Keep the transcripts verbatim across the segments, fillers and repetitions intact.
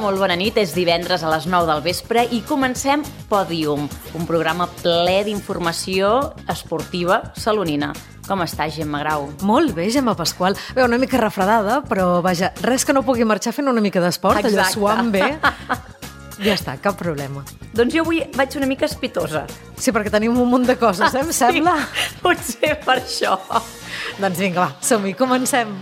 molt bona nit. És divendres a les nou del vespre i comencem Pòdium, un programa ple d'informació esportiva salonina. Com estàs, Gemma Grau? Molt bé, Gemma Pasqual. Bé, una mica refredada, però vaja, res que no pugui marxar fent una mica d'esport, allò suant bé. Ja està, cap problema. Doncs jo avui vaig una mica espitosa. Sí, perquè tenim un munt de coses, eh, em sembla? Sí, potser per això. Doncs vinga, va, som-hi, comencem.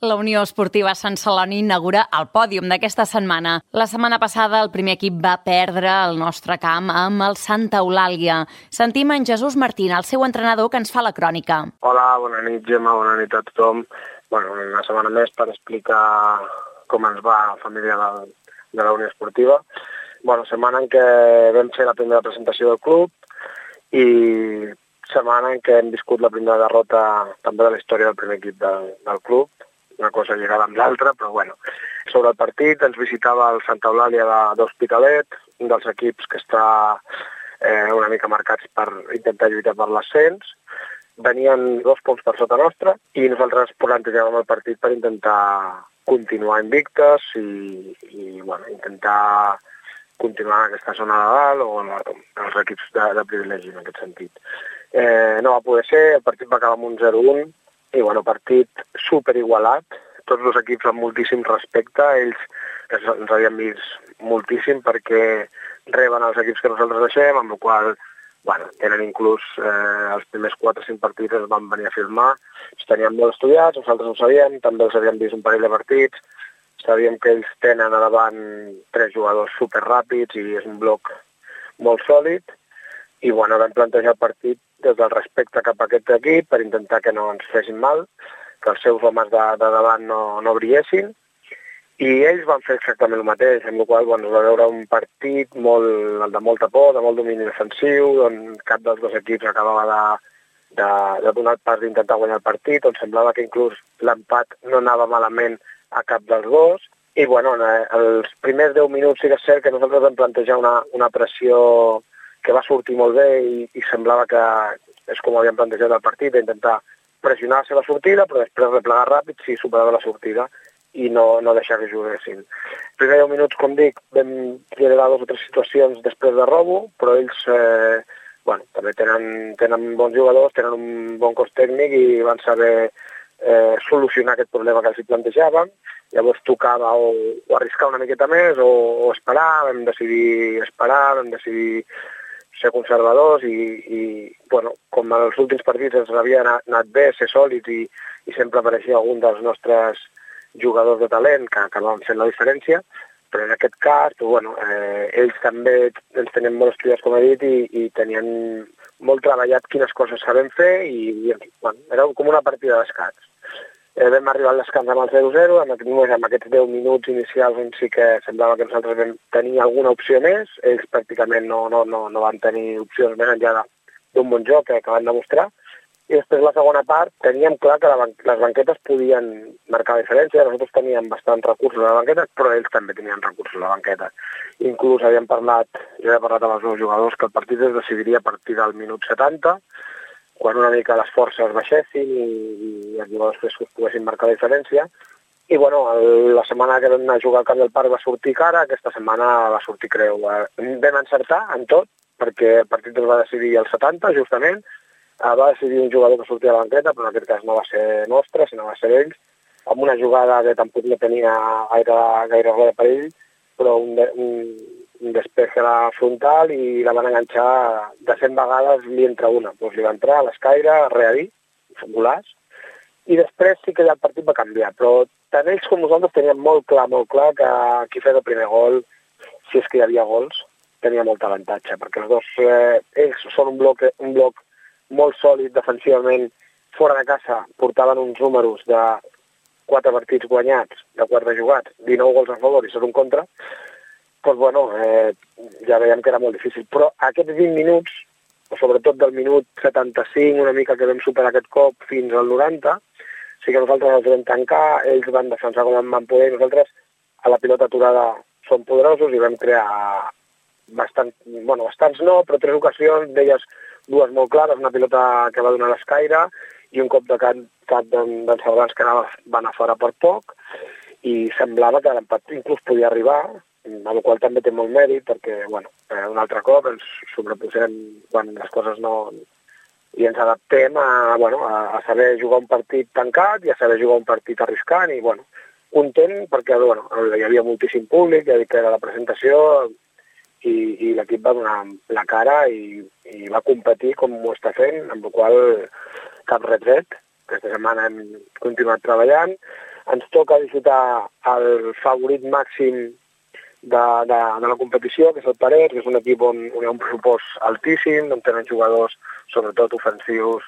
La Unió Esportiva Sant Celoni inaugura el pòdium d'aquesta setmana. La setmana passada el primer equip va perdre el nostre camp amb el Santa Eulàlia. Sentim en Jesús Martín, el seu entrenador, que ens fa la crònica. Hola, bona nit, Gemma, bona nit a tothom. Bueno, una setmana més per explicar com ens va la família de, de la Unió Esportiva. Bueno, setmana en què vam fer la primera presentació del club i setmana en què hem viscut la primera derrota també de la història del primer equip del, del club. Una cosa lligada amb l'altra, però bueno. Sobre el partit ens visitava el Santa Eulàlia d'Hospitalet, un dels equips que està eh, una mica marcats per intentar lluitar per l'ascens. Venien dos punts per sota nostra i nosaltres plantejàvem el partit per intentar continuar invictes i, i bueno, intentar continuar en aquesta zona de dalt o en els equips de, de privilegi en aquest sentit. Eh, no va poder ser, el partit va acabar amb un zero un i bueno, partit superigualat, tots els equips amb moltíssim respecte, ells ens havien vist moltíssim perquè reben els equips que nosaltres deixem, amb la qual bueno, tenen inclús eh, els primers quatre o cinc partits es van venir a filmar, els teníem molt estudiats, nosaltres ho sabíem, també els havíem vist un parell de partits, sabíem que ells tenen a davant tres jugadors superràpids i és un bloc molt sòlid, i bueno, vam plantejar el partit des del respecte cap a aquest equip per intentar que no ens fessin mal, que els seus homes de, de davant no, no brillessin, i ells van fer exactament el mateix, amb la qual cosa bueno, es va veure un partit molt, de molta por, de molt domini defensiu, on cap dels dos equips acabava de, de, de donar el pas d'intentar guanyar el partit, on semblava que inclús l'empat no anava malament a cap dels dos, i bueno, els primers deu minuts sí que és cert que nosaltres vam plantejar una, una pressió que va sortir molt bé i, i semblava que és com havíem plantejat el partit, d'intentar pressionar la seva sortida, però després replegar ràpid si superava la sortida i no, no deixar que juguessin. Els primers deu minuts, com dic, vam generar dues o tres situacions després de robo, però ells eh, bueno, també tenen, tenen bons jugadors, tenen un bon cos tècnic i van saber eh, solucionar aquest problema que els hi plantejàvem. Llavors tocava o, o arriscar una miqueta més o, o esperar, vam decidir esperar, vam decidir ser conservadors i, i bueno, com els últims partits ens havia anat, anat bé, ser sòlids i, i sempre apareixia algun dels nostres jugadors de talent que acabaven fent la diferència, però en aquest cas, doncs, bueno, eh, ells també ens tenien molt estudiats, com he dit, i, i tenien molt treballat quines coses sabem fer i, i bueno, era com una partida d'escacs. Eh, vam arribar al descans amb el zero zero, amb, amb aquests deu minuts inicials on sí que semblava que nosaltres vam tenir alguna opció més, ells pràcticament no, no, no, no van tenir opcions més enllà d'un bon joc que, que van demostrar, i després la segona part teníem clar que la ban les banquetes podien marcar la diferència, nosaltres teníem bastants recursos a la banqueta, però ells també tenien recursos a la banqueta. Inclús havíem parlat, jo he parlat amb els meus jugadors que el partit es decidiria a partir del minut setanta, quan una mica les forces baixessin i, i els jugadors frescos poguessin marcar la diferència. I bueno, el, la setmana que vam anar a jugar al Camp del Parc va sortir cara, aquesta setmana va sortir creu. Vam encertar en tot, perquè el partit es va decidir al setanta, justament, va decidir un jugador que sortia a la banqueta, però en aquest cas no va ser nostre, sinó va ser ells, amb una jugada que tampoc no tenia gaire, gaire res de perill, però un, de, un, un despeje a la frontal i la van enganxar de cent vegades li entra una. Doncs li va entrar a l'escaire, a readir, golaç, i després sí que ja el partit va canviar, però tant ells com nosaltres teníem molt clar, molt clar que qui fes el primer gol, si és que hi havia gols, tenia molt avantatge, perquè els dos, eh, ells són un bloc, un bloc molt sòlid defensivament, fora de casa portaven uns números de quatre partits guanyats, de quatre jugats, dinou gols a favor i set un contra, doncs bueno, eh, ja veiem que era molt difícil. Però aquests vint minuts, o sobretot del minut setanta-cinc, una mica que vam superar aquest cop fins al noranta, sí que nosaltres els vam tancar, ells van defensar com van poder, nosaltres a la pilota aturada som poderosos i vam crear bastant, bueno, bastants no, però tres ocasions, d'elles dues molt clares, una pilota que va donar l'escaire i un cop de cap, cap d'en Salvans que anava, va anar fora per poc. i semblava que l'empat inclús podia arribar, amb el qual també té molt mèrit, perquè, bueno, eh, un altre cop ens sobreposem quan les coses no... i ens adaptem a, bueno, a, a saber jugar un partit tancat i a saber jugar un partit arriscant, i, bueno, content perquè, bueno, hi havia moltíssim públic, ja dic que era la presentació, i, i l'equip va donar la cara i, i va competir com ho està fent, amb la qual cap retret. Aquesta setmana hem continuat treballant. Ens toca disfrutar el favorit màxim de, de, de la competició, que és el Parets, que és un equip on, on hi ha un pressupost altíssim, on tenen jugadors, sobretot ofensius,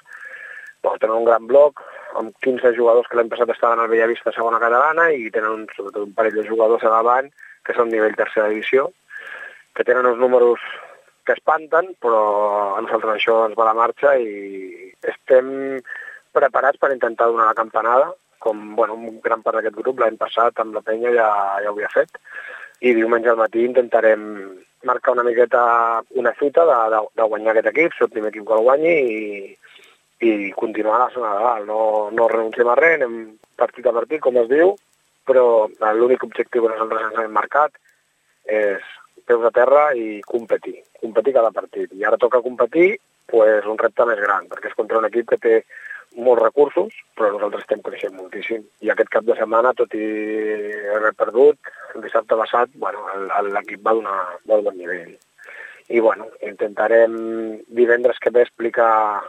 bon, tenen un gran bloc, amb quinze jugadors que l'any passat estaven al Bellavista segona catalana, i tenen un, sobretot un parell de jugadors a davant, que són nivell tercera divisió, que tenen uns números que espanten, però a nosaltres això ens va a la marxa i estem preparats per intentar donar la campanada, com, bueno, un gran part d'aquest grup l'any passat amb la penya ja, ja ho havia fet, i diumenge al matí intentarem marcar una miqueta una fita de, de, de guanyar aquest equip, ser el primer equip que el guanyi, i, i continuar a la zona de dalt. No, no renunciem a res, anem partit a partit, com es diu, però l'únic objectiu que nosaltres ens hem marcat és peus a terra i competir, competir cada partit. I ara toca competir, pues, un repte més gran, perquè és contra un equip que té molts recursos, però nosaltres estem creixent moltíssim. I aquest cap de setmana, tot i haver perdut, el dissabte passat, bueno, l'equip va donar molt bon nivell. I, bueno, intentarem divendres que ve explicar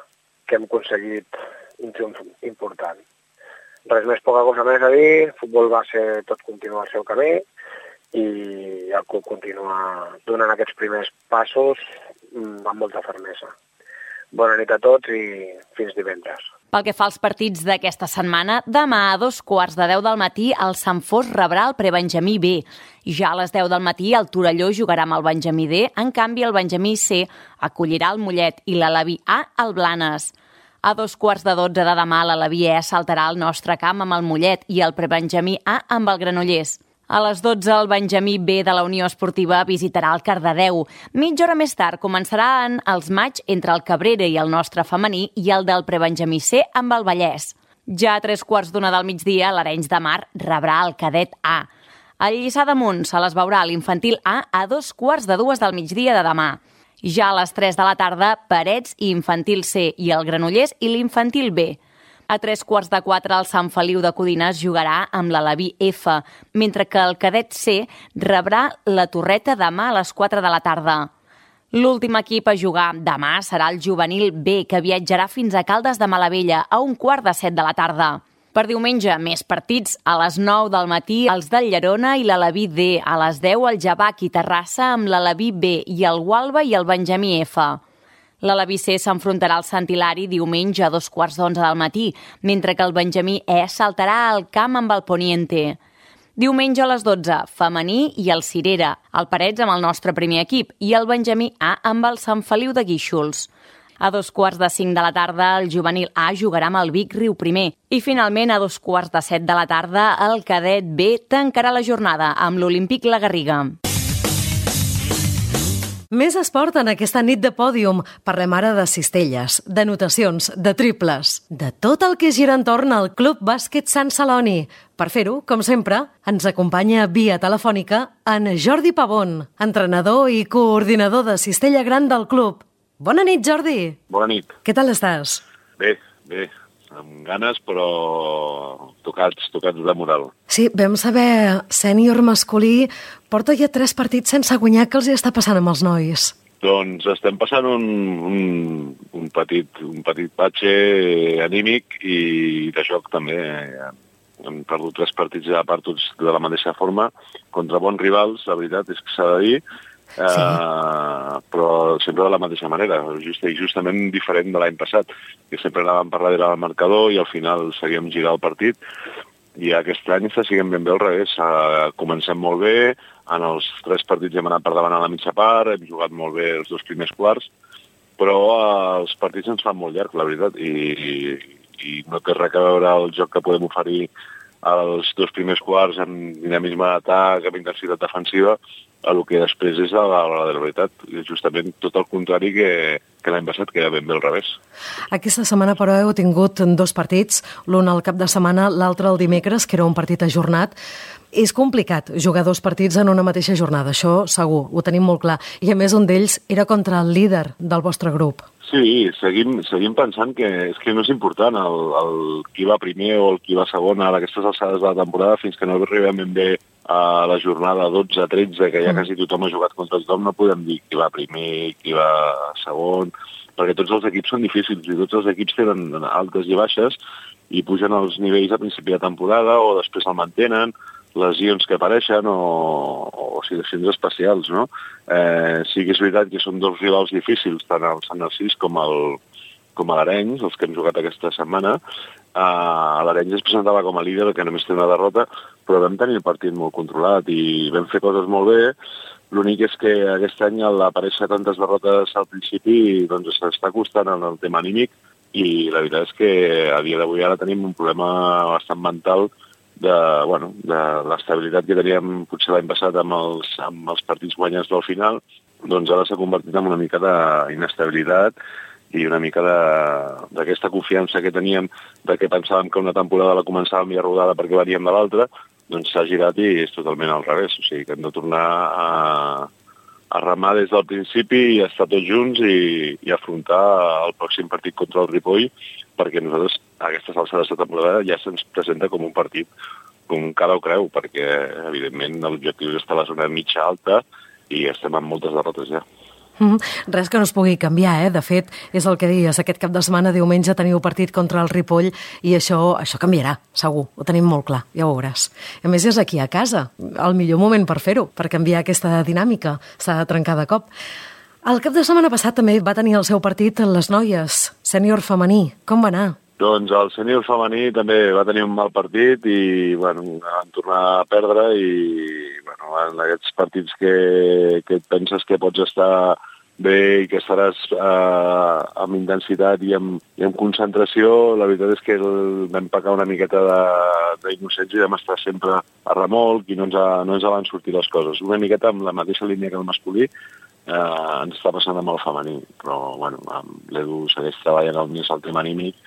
que hem aconseguit un triomf important. Res més, poca cosa més a dir, el futbol va ser tot continuar el seu camí, i el club continua donant aquests primers passos amb molta fermesa. Bona nit a tots i fins divendres. Pel que fa als partits d'aquesta setmana, demà a dos quarts de deu del matí el Sant Fost rebrà el prebenjamí B. Ja a les deu del matí el Torelló jugarà amb el Benjamí D, en canvi el Benjamí C acollirà el Mollet i l'Aleví A el Blanes. A dos quarts de dotze de demà l'Aleví E saltarà al nostre camp amb el Mollet i el prebenjamí A amb el Granollers. A les dotze, el Benjamí B de la Unió Esportiva visitarà el Cardedeu. Mitja hora més tard començaran els maig entre el Cabrera i el nostre femení i el del prebenjamí C amb el Vallès. Ja a tres quarts d'una del migdia, l'Arenys de Mar rebrà el Cadet A. El Lliçà d'Amunt se les veurà l'infantil A a dos quarts de dues del migdia de demà. Ja a les tres de la tarda, Parets i infantil C i el Granollers i l'infantil B. A tres quarts de quatre, el Sant Feliu de Codines jugarà amb l'Aleví F, mentre que el Cadet C rebrà la Torreta demà a les quatre de la tarda. L'últim equip a jugar demà serà el Juvenil B, que viatjarà fins a Caldes de Malavella a un quart de set de la tarda. Per diumenge, més partits. A les nou del matí, els del Llerona i l'Aleví D. A les deu, el Javac i Terrassa amb l'Aleví B i el Gualba i el Benjamí F. L'Aleví C s'enfrontarà al Sant Hilari diumenge a dos quarts d'onze del matí, mentre que el Benjamí E saltarà al camp amb el Poniente. Diumenge a les dotze, femení i el Cirera, el Parets amb el nostre primer equip i el Benjamí A amb el Sant Feliu de Guíxols. A dos quarts de cinc de la tarda, el Juvenil A jugarà amb el Vic Riu Primer. I finalment, a dos quarts de set de la tarda, el Cadet B tancarà la jornada amb l'Olímpic La Garriga. Més esport en aquesta nit de pòdium. Parlem ara de cistelles, de notacions, de triples, de tot el que gira entorn al Club Bàsquet Sant Celoni. Per fer-ho, com sempre, ens acompanya via telefònica en Jordi Pavón, entrenador i coordinador de cistella gran del club. Bona nit, Jordi. Bona nit. Què tal estàs? Bé, bé. Amb ganes, però tocats, tocats de moral. Sí, vam saber, sènior masculí porta ja tres partits sense guanyar. Què els hi està passant amb els nois? Doncs estem passant un, un, un petit, un petit patxe anímic i de joc també. Hem perdut tres partits a part tots de la mateixa forma, contra bons rivals, la veritat és que s'ha de dir, sí. uh, però sempre de la mateixa manera, just, justament diferent de l'any passat, que sempre anàvem per darrere del marcador i al final seguíem girar el partit, i aquest any està siguent ben bé al revés. Uh, comencem molt bé, en els tres partits hem anat per davant a la mitja part, hem jugat molt bé els dos primers quarts, però uh, els partits ens fan molt llarg, la veritat, i, i no té res a veure el joc que podem oferir als dos primers quarts amb dinamisme d'atac, amb intensitat defensiva, a el que després és a la, a la de la veritat. Justament tot el contrari que, que l'any passat, que era ben bé al revés. Aquesta setmana, però, heu tingut dos partits, l'un al cap de setmana, l'altre el dimecres, que era un partit ajornat. És complicat jugar dos partits en una mateixa jornada, això segur, ho tenim molt clar. I a més un d'ells era contra el líder del vostre grup. Sí, seguim, seguim pensant que és que no és important el, el qui va primer o el qui va segon a aquestes alçades de la temporada, fins que no arribem ben bé a la jornada dotze tretze, que ja quasi tothom ha jugat contra tothom, no podem dir qui va primer, qui va segon, perquè tots els equips són difícils i tots els equips tenen altes i baixes i pugen els nivells a principi de temporada o després el mantenen, lesions que apareixen o, o situacions especials, no? Eh, sí que és veritat que són dos rivals difícils, tant el Sant Narcís com el com a l'Arenys, els que hem jugat aquesta setmana. Uh, L'Arenys es presentava com a líder, que només té una derrota, però vam tenir el partit molt controlat i vam fer coses molt bé. L'únic és que aquest any al aparèixer tantes derrotes al principi doncs s'està costant en el tema anímic i la veritat és que a dia d'avui ara tenim un problema bastant mental de, bueno, de l'estabilitat que teníem potser l'any passat amb els, amb els partits guanyats del final, doncs ara s'ha convertit en una mica d'inestabilitat i una mica d'aquesta confiança que teníem de que pensàvem que una temporada la començàvem ja rodada perquè veníem de l'altra, doncs s'ha girat i és totalment al revés. O sigui que hem de tornar a, a remar des del principi i estar tots junts i, i afrontar el pròxim partit contra el Ripoll, perquè nosaltres a aquestes alçades de temporada ja se'ns presenta com un partit com cada ho creu, perquè evidentment l'objectiu és estar a la zona mitja alta i estem amb moltes derrotes ja. Mm, res que no es pugui canviar, eh? De fet, és el que dius, aquest cap de setmana, diumenge, teniu partit contra el Ripoll i això, això canviarà, segur, ho tenim molt clar, ja ho veuràs. A més, és aquí a casa, el millor moment per fer-ho, per canviar aquesta dinàmica, s'ha de trencar de cop. El cap de setmana passat també va tenir el seu partit les noies, sènior femení. Com va anar? Doncs el sènior femení també va tenir un mal partit i bueno, van tornar a perdre i bueno, en aquests partits que, que et penses que pots estar bé i que estaràs eh, amb intensitat i amb, i amb concentració, la veritat és que el, vam pecar una miqueta d'innocents i vam estar sempre a remolc i no ens, ha, no ens van sortir les coses. Una miqueta amb la mateixa línia que el masculí, eh, ens està passant amb el femení, però bueno, l'Edu segueix treballant al més el tema anímic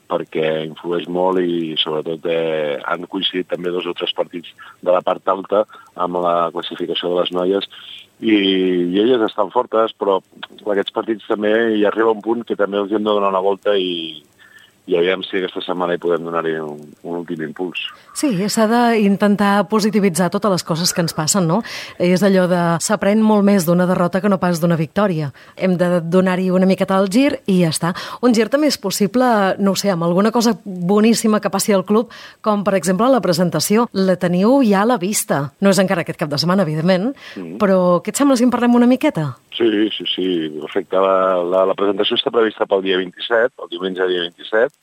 perquè influeix molt i sobretot eh, han coincidit també dos o tres partits de la part alta amb la classificació de les noies i, i elles estan fortes, però aquests partits també hi arriba un punt que també els hem de donar una volta i, i aviam si aquesta setmana hi podem donar-hi un, un últim impuls. Sí, s'ha d'intentar positivitzar totes les coses que ens passen, no? És allò de s'aprèn molt més d'una derrota que no pas d'una victòria. Hem de donar-hi una miqueta al gir i ja està. Un gir també és possible, no ho sé, amb alguna cosa boníssima que passi al club, com per exemple la presentació. La teniu ja a la vista. No és encara aquest cap de setmana, evidentment, mm. però què et sembla si en parlem una miqueta? Sí, sí, sí, perfecte. La, la, la presentació està prevista pel dia vint-i-set, el diumenge dia vint-i-set,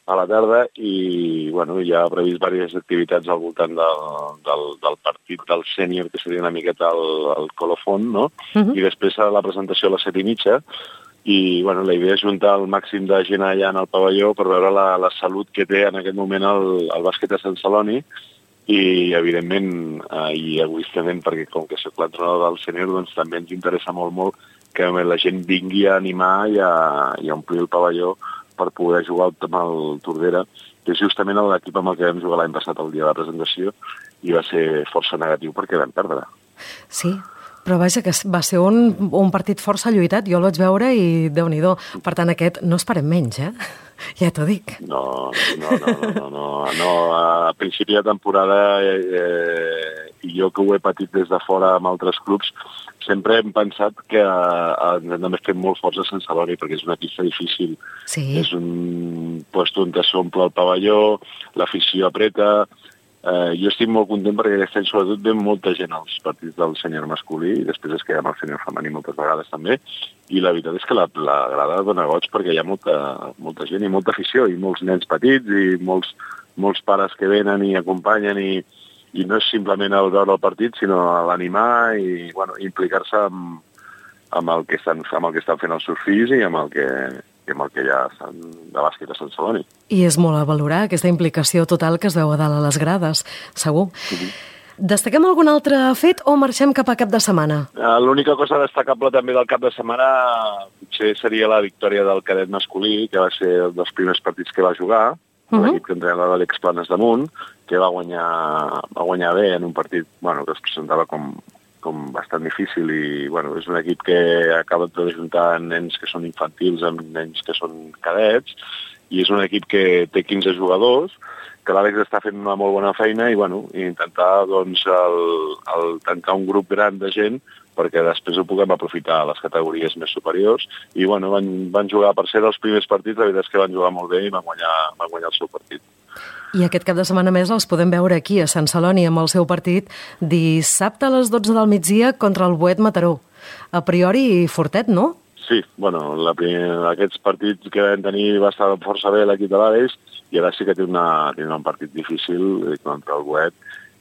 a la tarda, i bueno, ja ha previst diverses activitats al voltant del, del, del partit del sènior, que seria una miqueta el, el colofon, no? Uh-huh. I després la presentació a les set i mitja, i bueno, la idea és juntar el màxim de gent allà en el pavelló per veure la, la salut que té en aquest moment el, el bàsquet a Sant Celoni, i evidentment eh, i egoistament, perquè com que soc l'entrenador del sènior, doncs també ens interessa molt molt que la gent vingui a animar i a, i a omplir el pavelló per poder jugar amb el Tordera, que és justament l'equip amb el que vam jugar l'any passat el dia de la presentació i va ser força negatiu perquè vam perdre. Sí, però vaja, que va ser un, un partit força lluitat, jo el vaig veure i Déu-n'hi-do. Per tant, aquest no esperem menys, eh? Ja t'ho dic. No, no, no, no, no, no. A principi de temporada, eh, i jo que ho he patit des de fora amb altres clubs, sempre hem pensat que eh, només fem molt forts a Sant Celoni perquè és una pista difícil. Sí. És un lloc on s'omple el pavelló, l'afició apreta. Eh, jo estic molt content perquè aquest any sobretot ve molta gent als partits del sènior masculí i després es queda amb el sènior femení moltes vegades també, i la veritat és que la, la grada dona goig perquè hi ha molta, molta gent i molta afició i molts nens petits i molts, molts pares que venen i acompanyen i, i no és simplement el veure el partit sinó l'animar i bueno, implicar-se amb, amb, el que estan, amb el que estan fent els seus fills i amb el que amb el que hi ha de bàsquet a Sant Celoni. I és molt a valorar aquesta implicació total que es veu a dalt a les grades, segur. Uh-huh. Destaquem algun altre fet o marxem cap a cap de setmana? L'única cosa destacable també del cap de setmana potser seria la victòria del cadet masculí, que va ser un dels primers partits que va jugar, uh -huh. l'equip que entrenava l'Àlex Planes damunt, que va guanyar, va guanyar bé en un partit bueno, que es presentava com, com bastant difícil i bueno, és un equip que acaba d'ajuntar nens que són infantils amb nens que són cadets i és un equip que té quinze jugadors, que l'Àlex està fent una molt bona feina i bueno, intentar doncs, el, el tancar un grup gran de gent perquè després ho puguem aprofitar a les categories més superiors i bueno, van, van jugar per ser dels primers partits, la veritat és que van jugar molt bé i van guanyar, van guanyar el seu partit. I aquest cap de setmana més els podem veure aquí a Sant Celoni amb el seu partit dissabte a les dotze del migdia contra el Boet Mataró. A priori fortet, no? Sí, bueno, la primer, aquests partits que vam tenir va estar força bé l'equip de l'Àlex i ara sí que té, una, té un partit difícil contra el Boet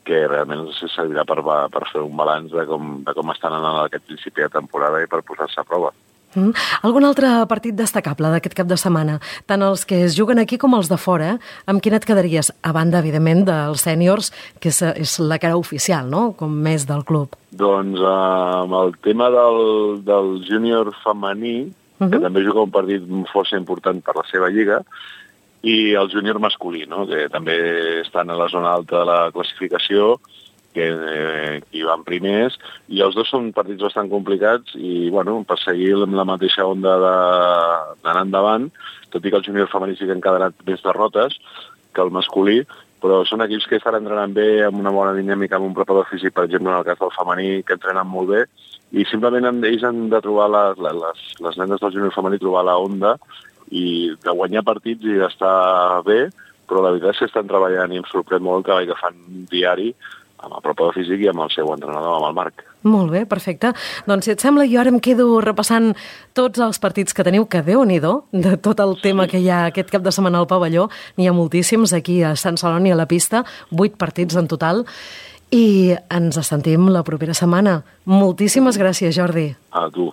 que realment servirà per, per fer un balanç de com, de com estan anant aquest principi de temporada i per posar-se a prova. Mm. Algun altre partit destacable d'aquest cap de setmana? Tant els que es juguen aquí com els de fora, amb quin et quedaries? A banda, evidentment, dels sèniors, que és, és la cara oficial, no?, com més del club. Doncs uh, amb el tema del, del júnior femení, uh -huh. que també juga un partit força important per la seva lliga, i el júnior masculí, no?, que també estan a la zona alta de la classificació, que eh, hi van primers, i els dos són partits bastant complicats i, bueno, per seguir amb la mateixa onda d'anar endavant, tot i que el júnior femení sí que han quedat més derrotes que el masculí, però són equips que estan entrenant bé, amb una bona dinàmica, amb un preparador físic, per exemple, en el cas del femení, que entrenen molt bé, i simplement ells han de trobar, les, les, les nenes del júnior femení, trobar la onda i de guanyar partits i d'estar bé, però la veritat és que estan treballant i em sorprèn molt el treball que fan diari amb el preparador físic i amb el seu entrenador, amb el Marc. Molt bé, perfecte. Doncs si et sembla, jo ara em quedo repassant tots els partits que teniu, que Déu-n'hi-do, de tot el tema que hi ha aquest cap de setmana al pavelló. N'hi ha moltíssims aquí a Sant Celoni, a la pista, vuit partits en total, i ens sentim la propera setmana. Moltíssimes gràcies, Jordi. A tu.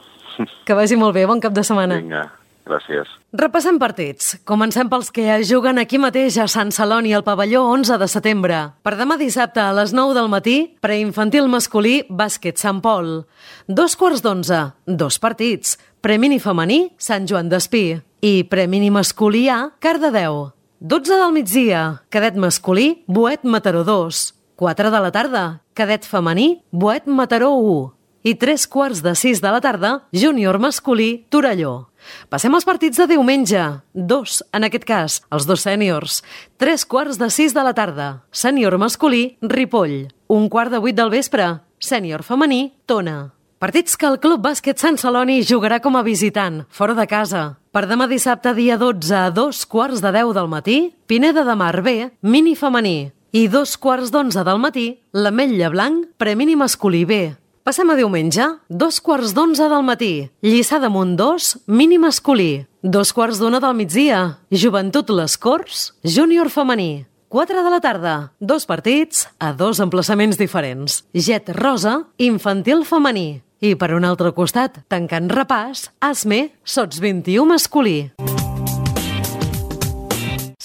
Que vagi molt bé, bon cap de setmana. Vinga. Gràcies. Repassem partits. Comencem pels que juguen aquí mateix a Sant Celoni, al pavelló onze de setembre. Per demà dissabte a les nou del matí, preinfantil masculí, bàsquet Sant Pol. Dos quarts d'onze, dos partits. Premini femení, Sant Joan d'Espí. I premini masculí A, Cardedeu. dotze del migdia, cadet masculí, Boet Mataró dos. quatre de la tarda, cadet femení, Boet Mataró u. I tres quarts de sis de la tarda, júnior masculí, Torelló. Passem als partits de diumenge. Dos, en aquest cas, els dos sèniors. Tres quarts de sis de la tarda, sènior masculí, Ripoll. Un quart de vuit del vespre, sènior femení, Tona. Partits que el Club Bàsquet Sant Celoni jugarà com a visitant, fora de casa. Per demà dissabte, dia dotze, a dos quarts de deu del matí, Pineda de Mar B, mini femení. I dos quarts d'onze del matí, l'Ametlla Blanc, premini masculí B. Passem a diumenge, dos quarts d'onze del matí, Lliçà d'Amunt dos, mini masculí. Dos quarts d'una del migdia, Joventut Les Corts, júnior femení. Quatre de la tarda, dos partits a dos emplaçaments diferents. Jet Rosa, infantil femení. I per un altre costat, tancant repàs, Asme, sots vint-i-u masculí.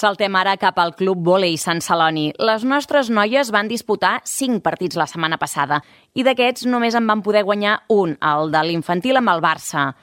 Saltem ara cap al Club Vòlei Sant Celoni. Les nostres noies van disputar cinc partits la setmana passada i d'aquests només en van poder guanyar un, el de l'infantil amb el Barça.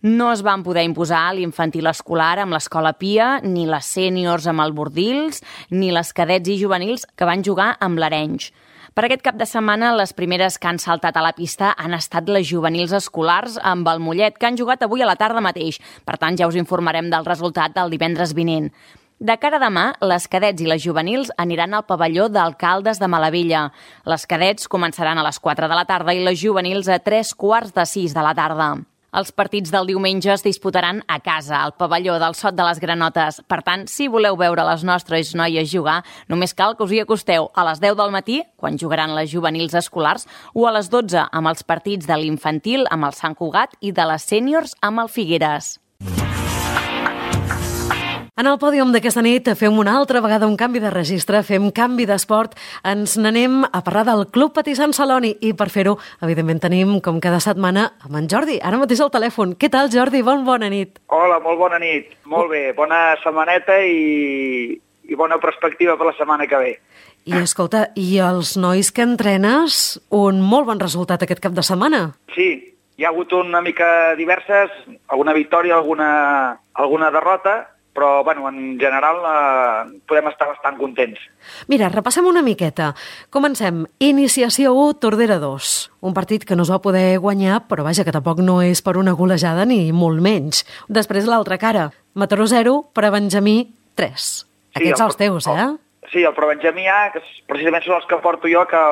No es van poder imposar l'infantil escolar amb l'Escola Pia, ni les sèniors amb el Bordils, ni les cadets i juvenils que van jugar amb l'Arenys. Per aquest cap de setmana, les primeres que han saltat a la pista han estat les juvenils escolars amb el Mollet, que han jugat avui a la tarda mateix. Per tant, ja us informarem del resultat del divendres vinent. De cara a demà, les cadets i les juvenils aniran al pavelló d'Alcaldes de Malavella. Les cadets començaran a les quatre de la tarda i les juvenils a tres quarts de sis de la tarda. Els partits del diumenge es disputaran a casa, al pavelló del Sot de les Granotes. Per tant, si voleu veure les nostres noies jugar, només cal que us hi acosteu a les deu del matí, quan jugaran les juvenils escolars, o a les dotze amb els partits de l'infantil amb el Sant Cugat i de les sèniors amb el Figueres. En el pòdium d'aquesta nit fem una altra vegada un canvi de registre, fem canvi d'esport, ens n'anem a parlar del Club Patí Sant Celoni i per fer-ho, evidentment, tenim, com cada setmana, amb en Jordi, ara mateix al telèfon. Què tal, Jordi? Bon bona nit. Hola, molt bona nit. Molt bé, bona setmaneta i, i bona perspectiva per la setmana que ve. I escolta, i els nois que entrenes, un molt bon resultat aquest cap de setmana? Sí, hi ha hagut una mica diverses, alguna victòria, alguna, alguna derrota, però bueno, en general eh, podem estar bastant contents. Mira, repassem una miqueta. Comencem. Iniciació u, Tordera dos. Un partit que no es va poder guanyar, però vaja, que tampoc no és per una golejada ni molt menys. Després l'altra cara. Mataró zero, Prebenjamí tres. Aquests sí, els teus, eh? El, sí, el Prebenjamí A, que precisament són els que porto jo, que,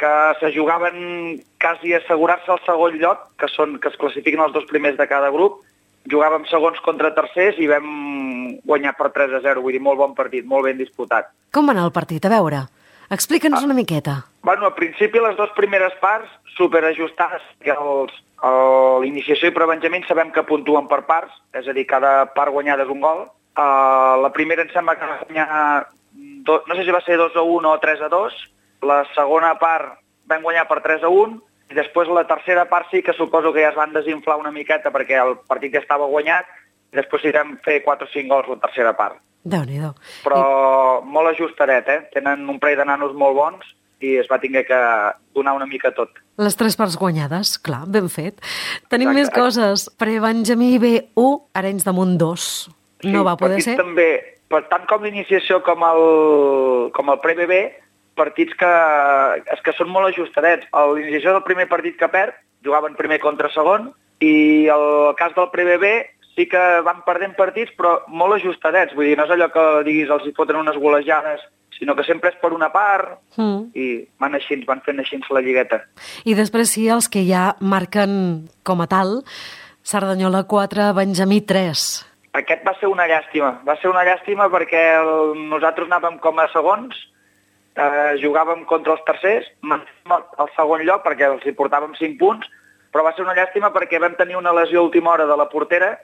que se jugaven quasi a assegurar-se el segon lloc, que són que es classifiquen els dos primers de cada grup. Jugàvem segons contra tercers i vam guanyar per tres a zero, vull dir, molt bon partit, molt ben disputat. Com va anar el partit? A veure, explica'ns ah. una miqueta. Bueno, al principi les dues primeres parts superajustades, que els, l'iniciació i prebenjament sabem que puntuen per parts, és a dir, cada part guanyada és un gol. Uh, la primera em sembla que va guanyar, do, no sé si va ser dos a un o tres a dos, la segona part vam guanyar per tres a un, i després la tercera part sí que suposo que ja es van desinflar una miqueta perquè el partit ja estava guanyat, i després sí vam fer quatre o cinc gols la tercera part. Déu-n'hi-do. Però I... molt ajustadet, eh? Tenen un parell de nanos molt bons i es va tinguer que donar una mica tot. Les tres parts guanyades, clar, ben fet. Tenim Exacte. Més coses. Prebenjamí B u, Arenys de Munt dos. Sí, no va poder ser? També, tant com l'iniciació com el, com el Pre-B B, partits que, és que són molt ajustadets. A l'iniciació del primer partit que perd, jugaven primer contra segon, i el cas del Pre-B B sí que van perdent partits, però molt ajustadets. Vull dir, no és allò que diguis els hi foten unes golejades, sinó que sempre és per una part, mm. i van així, van fent així la lligueta. I després sí, els que ja marquen com a tal, Cerdanyola quatre, Benjamí tres. Aquest va ser una llàstima. Va ser una llàstima perquè el, nosaltres anàvem com a segons, eh, jugàvem contra els tercers, mantèiem el segon lloc perquè els hi portàvem cinc punts, però va ser una llàstima perquè vam tenir una lesió a última hora de la portera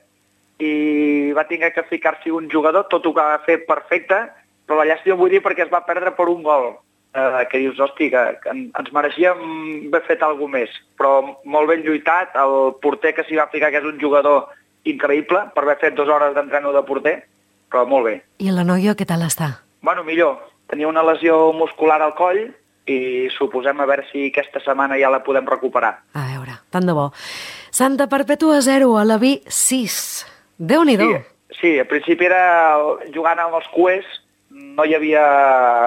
i va haver que ficar-s'hi un jugador, tot ho va fer perfecte, però la llàstima vull dir perquè es va perdre per un gol, eh, que dius, hosti, que, que ens mereixíem haver fet alguna més, però molt ben lluitat, el porter que s'hi va ficar, que és un jugador increïble, per haver fet dues hores d'entreno de porter, però molt bé. I la noia què tal està? Bueno, millor. Tenia una lesió muscular al coll i suposem a veure si aquesta setmana ja la podem recuperar. A veure, tant de bo. Santa Perpètua zero, Alaví sis. Déu-n'hi-do. Sí, sí, al principi era jugant amb els cues, no hi havia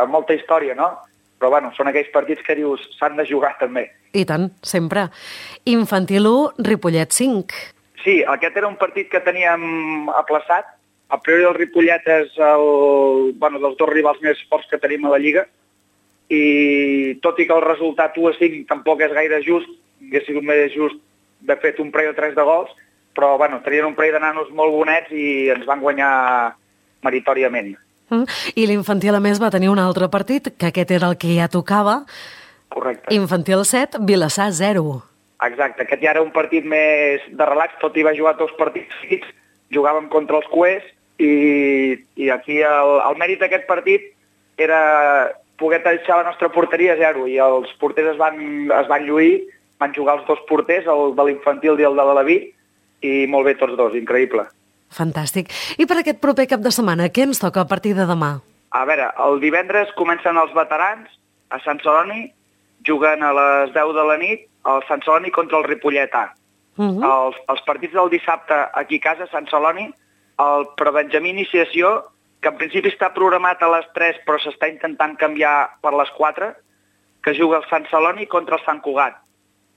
molta història, no? Però bueno, són aquells partits que dius s'han de jugar també. I tant, sempre. Infantil u, Ripollet cinc. Sí, aquest era un partit que teníem aplaçat. A priori el Ripollet és el, bueno, dels dos rivals més forts que tenim a la Lliga i tot i que el resultat u a cinc tampoc és gaire just, hauria sigut més just d'haver fet un parell o tres de gols, però bueno, tenien un parell de nanos molt bonets i ens van guanyar meritòriament. Mm. I l'infantil a més va tenir un altre partit, que aquest era el que ja tocava. Correcte. Infantil set, Vilassar zero. Exacte, aquest ja era un partit més de relax, tot i va jugar dos partits seguits, jugàvem contra els cuers i, i aquí el, el mèrit d'aquest partit era poder deixar la nostra porteria a zero i els porters es van, es van lluir, van jugar els dos porters, el de l'infantil i el de l'Alaví, i molt bé tots dos, increïble. Fantàstic. I per aquest proper cap de setmana, què ens toca a partir de demà? A veure, el divendres comencen els veterans a Sant Celoni, juguen a les deu de la nit el Sant Celoni contra el Ripollet A. Uh -huh. els, els partits del dissabte aquí a casa, a Sant Celoni, el Prebenjamí Iniciació, que en principi està programat a les tres però s'està intentant canviar per les quatre, que juga el Sant Celoni contra el Sant Cugat.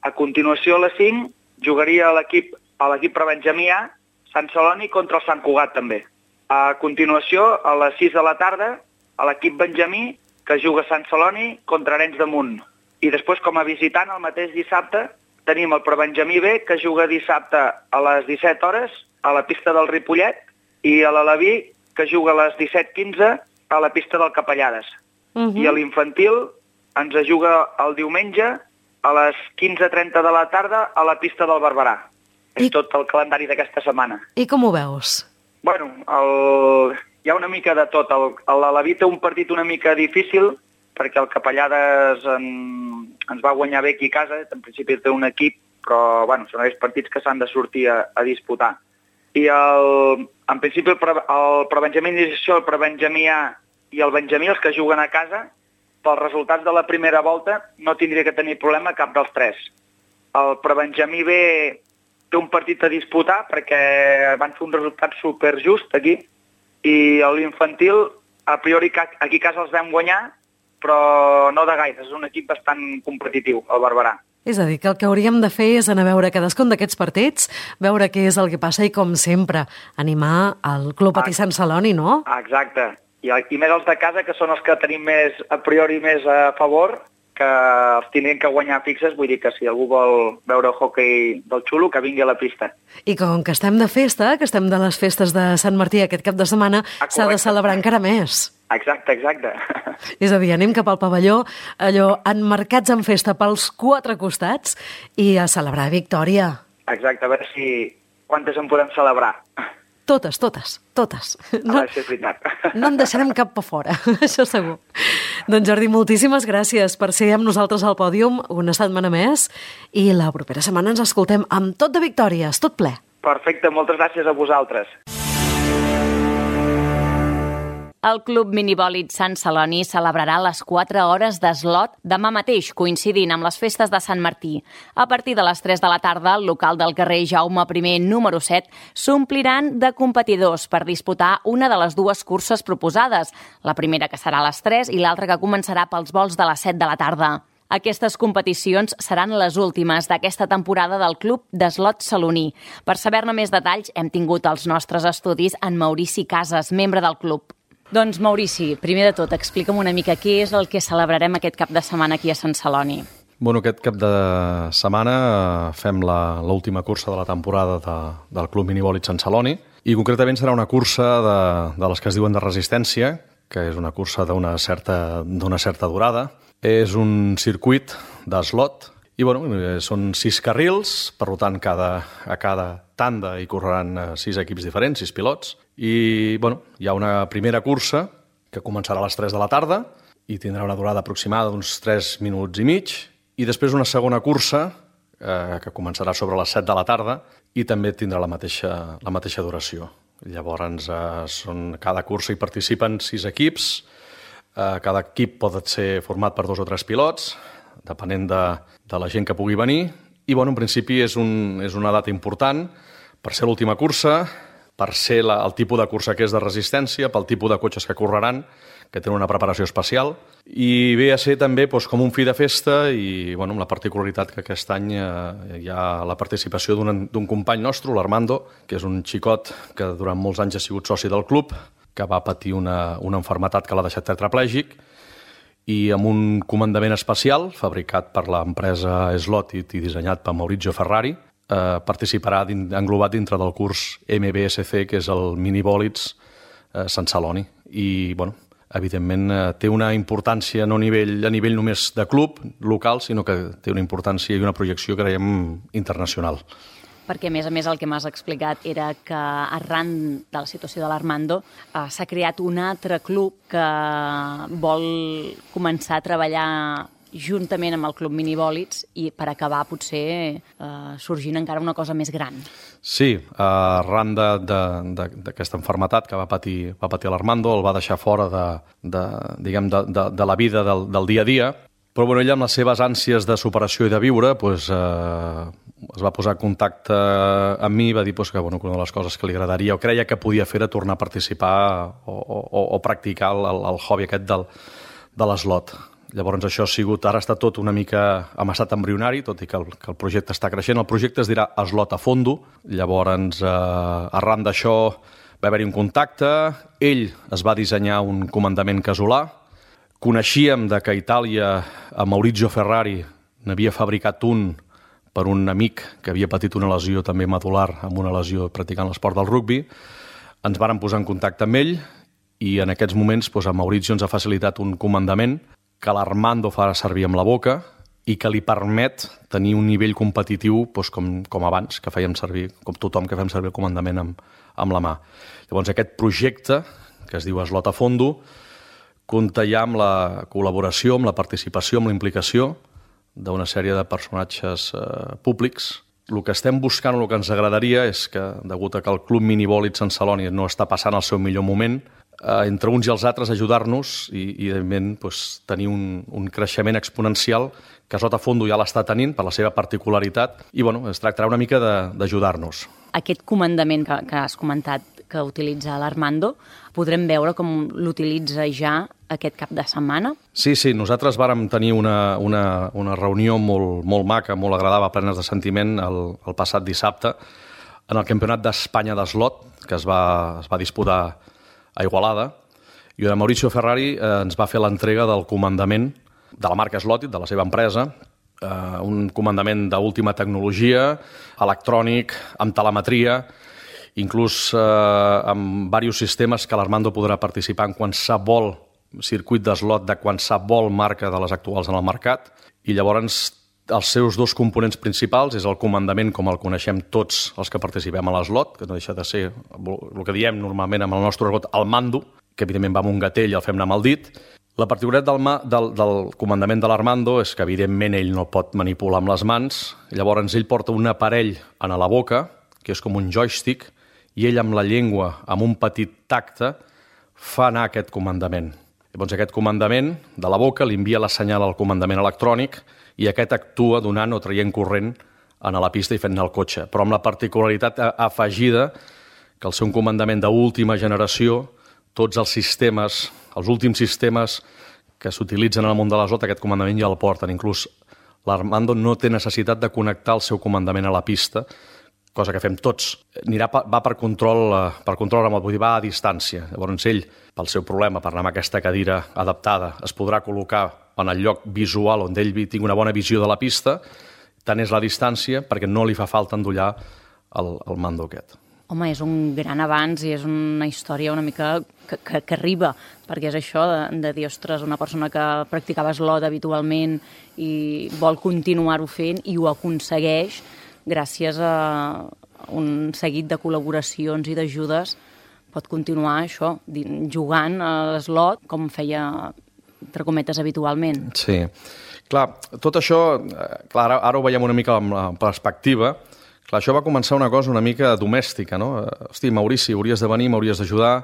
A continuació, a les cinc, jugaria l'equip a l'equip Prebenjamí A, Sant Celoni contra el Sant Cugat també. A continuació, a les sis de la tarda, a l'equip Benjamí, que juga Sant Celoni contra Arenys de Munt. I després, com a visitant, el mateix dissabte, tenim el Prebenjamí B, que juga dissabte a les disset hores a la pista del Ripollet, i a l'Alaví, que juga a les disset quinze a la pista del Capellades. Uh-huh. I a l'infantil ens juga el diumenge a les quinze trenta de la tarda a la pista del Barberà. I... És tot el calendari d'aquesta setmana. I com ho veus? Bueno, el... hi ha una mica de tot. L'Alaví té un partit una mica difícil, perquè el Capellades en... ens va guanyar bé aquí a casa, en principi té un equip, però bueno, són aquells partits que s'han de sortir a, a disputar. I el... en principi el, pre... el Prebenjamí Iniciació, el Prebenjamí A i el Benjamí, els que juguen a casa, pels resultats de la primera volta no tindria que tenir problema cap dels tres. El prebenjamí B té un partit a disputar perquè van fer un resultat superjust aquí, i l'infantil, a priori aquí a casa els vam guanyar, però no de gaire, és un equip bastant competitiu, el Barberà. És a dir, que el que hauríem de fer és anar a veure cadascun d'aquests partits, veure què és el que passa i, com sempre, animar el Club Patí Sant Celoni, no? Exacte. I, I més els de casa, que són els que tenim més, a priori més a favor, que els tindrien que guanyar fixes, vull dir que si algú vol veure hoquei del xulo, que vingui a la pista. I com que estem de festa, que estem de les festes de Sant Martí aquest cap de setmana, ah, s'ha de celebrar encara més. Exacte, exacte. És a dir, anem cap al pavelló, allò emmarcats en festa pels quatre costats, i a celebrar victòria. Exacte, a veure si quantes en podem celebrar. Totes, totes, totes. No, és veritat. No en deixarem cap per fora, això segur. Doncs Jordi, moltíssimes gràcies per ser amb nosaltres al pòdium una setmana més, i la propera setmana ens escoltem amb tot de victòries, tot ple. Perfecte, moltes gràcies a vosaltres. El Club Minibòlit Sant Celoni celebrarà les quatre hores d'eslot demà mateix, coincidint amb les festes de Sant Martí. A partir de les tres de la tarda, el local del carrer Jaume I, número set, s'ompliran de competidors per disputar una de les dues curses proposades, la primera que serà a les tres i l'altra que començarà pels vols de les set de la tarda. Aquestes competicions seran les últimes d'aquesta temporada del Club d'Eslot Celoní. Per saber-ne més detalls, hem tingut els nostres estudis en Maurici Casas, membre del club. Doncs, Maurici, primer de tot, explica'm una mica què és el que celebrarem aquest cap de setmana aquí a Sant Celoni. Bueno, aquest cap de setmana fem l'última cursa de la temporada de, del Club Minibòlit Sant Celoni, i concretament serà una cursa de, de les que es diuen de resistència, que és una cursa d'una certa, d'una certa durada. És un circuit d'eslot, i bueno, són sis carrils, per tant, cada, a cada tanda hi correran sis equips diferents, sis pilots, i bueno, hi ha una primera cursa que començarà a les tres de la tarda i tindrà una durada aproximada d'uns tres minuts i mig, i després una segona cursa eh, que començarà sobre les set de la tarda i també tindrà la mateixa, la mateixa duració. Llavors, eh, són, cada cursa hi participen sis equips, eh, cada equip pot ser format per dos o tres pilots, depenent de, de la gent que pugui venir, i bueno, en principi és, un, és una data important per ser l'última cursa, per ser la, el tipus de cursa que és de resistència, pel tipus de cotxes que correran, que tenen una preparació especial, i ve a ser també doncs, com un fi de festa, i bueno, amb la particularitat que aquest any eh, hi ha la participació d'un company nostre, l'Armando, que és un xicot que durant molts anys ha sigut soci del club, que va patir una, una enfermetat que l'ha deixat tetraplègic, i amb un comandament especial, fabricat per l'empresa Slot i dissenyat per Maurizio Ferrari, eh, participarà din, englobat dintre del curs M B S C, que és el Minibòlits eh, Sant Celoni. I, bueno, evidentment, eh, té una importància no a nivell, a nivell només de club local, sinó que té una importància i una projecció, creiem, internacional. Perquè, a més a més, el que m'has explicat era que arran de la situació de l'Armando eh, s'ha creat un altre club que vol començar a treballar juntament amb el Club Minibòlits i per acabar potser eh, sorgint encara una cosa més gran. Sí, arran d'aquesta enfermetat que va patir, va patir l'Armando, el va deixar fora de, de, diguem, de, de, de la vida del, del dia a dia, però bueno, ell amb les seves ànsies de superació i de viure pues, eh, es va posar en contacte amb mi i va dir pues, que, bueno, que una de les coses que li agradaria o creia que podia fer era tornar a participar o, o, o practicar el, el hobby aquest del, de l'eslot. Llavors això ha sigut, ara està tot una mica en estat embrionari, tot i que el, que el projecte està creixent. El projecte es dirà Eslot a Fondo. Llavors, eh, arran d'això va haver-hi un contacte, ell es va dissenyar un comandament casolà. Coneixíem de que a Itàlia a Maurizio Ferrari n'havia fabricat un per un amic que havia patit una lesió també medular, amb una lesió practicant l'esport del rugbi. Ens varen posar en contacte amb ell i en aquests moments doncs, a Maurizio ens ha facilitat un comandament que l'Armando fa servir amb la boca i que li permet tenir un nivell competitiu doncs, com, com abans, que fèiem servir, com tothom que fem servir el comandament amb, amb la mà. Llavors aquest projecte, que es diu Eslot a Fondo, compta ja amb la col·laboració, amb la participació, amb la implicació d'una sèrie de personatges eh, públics. El que estem buscant, el que ens agradaria és que, degut a que el Club Minibòlit Sant Celoni no està passant el seu millor moment, eh, entre uns i els altres ajudar-nos i, i evidentment, doncs, tenir un, un creixement exponencial que Sota Fondo ja l'està tenint per la seva particularitat i bueno, es tractarà una mica d'ajudar-nos. Aquest comandament que, que has comentat que utilitza l'Armando, podrem veure com l'utilitza ja aquest cap de setmana? Sí, sí, nosaltres vàrem tenir una, una, una reunió molt, molt maca, molt agradable, plenes de sentiment, el, el passat dissabte, en el Campionat d'Espanya d'Eslot, que es va, es va disputar a Igualada, i on Mauricio Ferrari eh, ens va fer l'entrega del comandament de la marca Slotit, de la seva empresa, eh, un comandament d'última tecnologia, electrònic, amb telemetria, inclús eh, amb diversos sistemes que l'Armando podrà participar en qualsevol circuit d'eslot de qualsevol marca de les actuals en el mercat. I llavors els seus dos components principals és el comandament, com el coneixem tots els que participem a l'eslot, que no deixa de ser el que diem normalment amb el nostre argot, el mando, que evidentment va amb un gatell i el fem anar amb el dit. La particularitat del, ma, del, del comandament de l'Armando és que evidentment ell no pot manipular amb les mans, llavors ell porta un aparell a la boca, que és com un joystick, i ell amb la llengua, amb un petit tacte, fa anar aquest comandament. Llavors aquest comandament de la boca li envia la senyal al comandament electrònic i aquest actua donant o traient corrent a la pista i fent anar el cotxe. Però amb la particularitat afegida que al ser un comandament d'última generació, tots els sistemes, els últims sistemes que s'utilitzen en el món de l'eslot, aquest comandament ja el porten. Inclús l'Armando no té necessitat de connectar el seu comandament a la pista, cosa que fem tots. Anirà, va per control, per control remote, vull dir, va a distància. Llavors ell, pel seu problema, per anar amb aquesta cadira adaptada, es podrà col·locar en el lloc visual on ell tingui una bona visió de la pista, tant és la distància perquè no li fa falta endollar el, el mando aquest. Home, és un gran avanç i és una història una mica que, que, que arriba, perquè és això de, de dir, ostres, una persona que practicava eslot habitualment i vol continuar-ho fent i ho aconsegueix gràcies a un seguit de col·laboracions i d'ajudes, pot continuar això, jugant a l'eslot com feia, entre cometes, habitualment. Sí. Clar, tot això, clar, ara, ara ho veiem una mica amb la perspectiva. Clar, això va començar una cosa una mica domèstica, no? Hosti, Maurici, hauries de venir, m'hauries d'ajudar.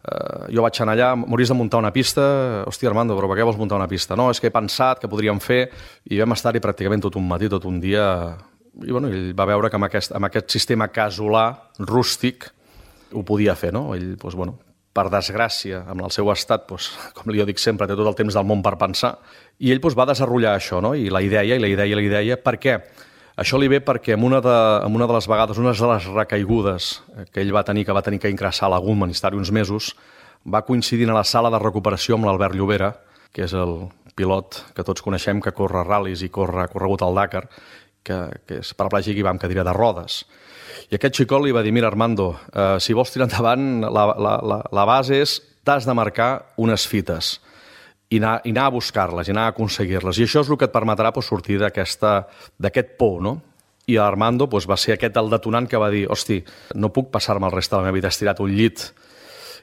Uh, jo vaig anar allà, m'hauries de muntar una pista. Hosti, Armando, però per què vols muntar una pista? No, és que he pensat que podríem fer, i vam estar-hi pràcticament tot un matí, tot un dia. I bueno, ell va veure que amb aquest, amb aquest sistema casolà, rústic, ho podia fer, no? Ell, doncs, bueno, per desgràcia, amb el seu estat, doncs, com li jo dic sempre, té tot el temps del món per pensar, i ell doncs, va desenvolupar això, no? I la idea, i la idea, i la idea, per què? Això li ve perquè en una de, en una de les vegades, una de les recaigudes que ell va tenir, que va tenir que ingressar a la Gunman i estar-hi uns mesos, va coincidir a la sala de recuperació amb l'Albert Llobera, que és el pilot que tots coneixem, que corre ral·lis i corre, ha corregut al Dakar, que, que és paraplègic i va amb cadira de rodes. I aquest xicot li va dir, mira, Armando, eh, si vols tirar endavant, la, la, la, la base és t'has de marcar unes fites i anar, i anar a buscar-les, i anar a aconseguir-les. I això és el que et permetrà pues, sortir d'aquest por, no? I Armando pues, va ser aquest el detonant que va dir, hosti, no puc passar-me el rest de la meva vida estirat un llit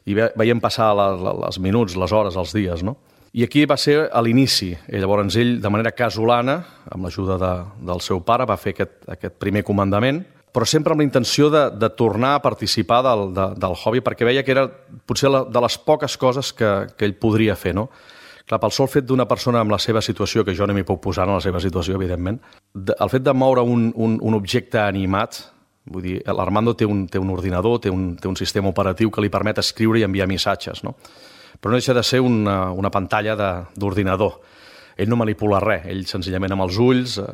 i ve, veiem passar la, la, els minuts, les hores, els dies, no? I aquí va ser a l'inici. I llavors ell, de manera casolana, amb l'ajuda de, del seu pare, va fer aquest, aquest primer comandament, però sempre amb la intenció de, de tornar a participar del, de, del hobby, perquè veia que era potser la, de les poques coses que, que ell podria fer, no? Clar, pel sol fet d'una persona amb la seva situació, que jo no m'hi puc posar en la seva situació, evidentment, de, el fet de moure un, un, un objecte animat, vull dir, l'Armando té un, té un ordinador, té un, té un sistema operatiu que li permet escriure i enviar missatges, no? Però no deixa de ser una, una pantalla d'ordinador. Ell no manipula res, ell senzillament amb els ulls eh,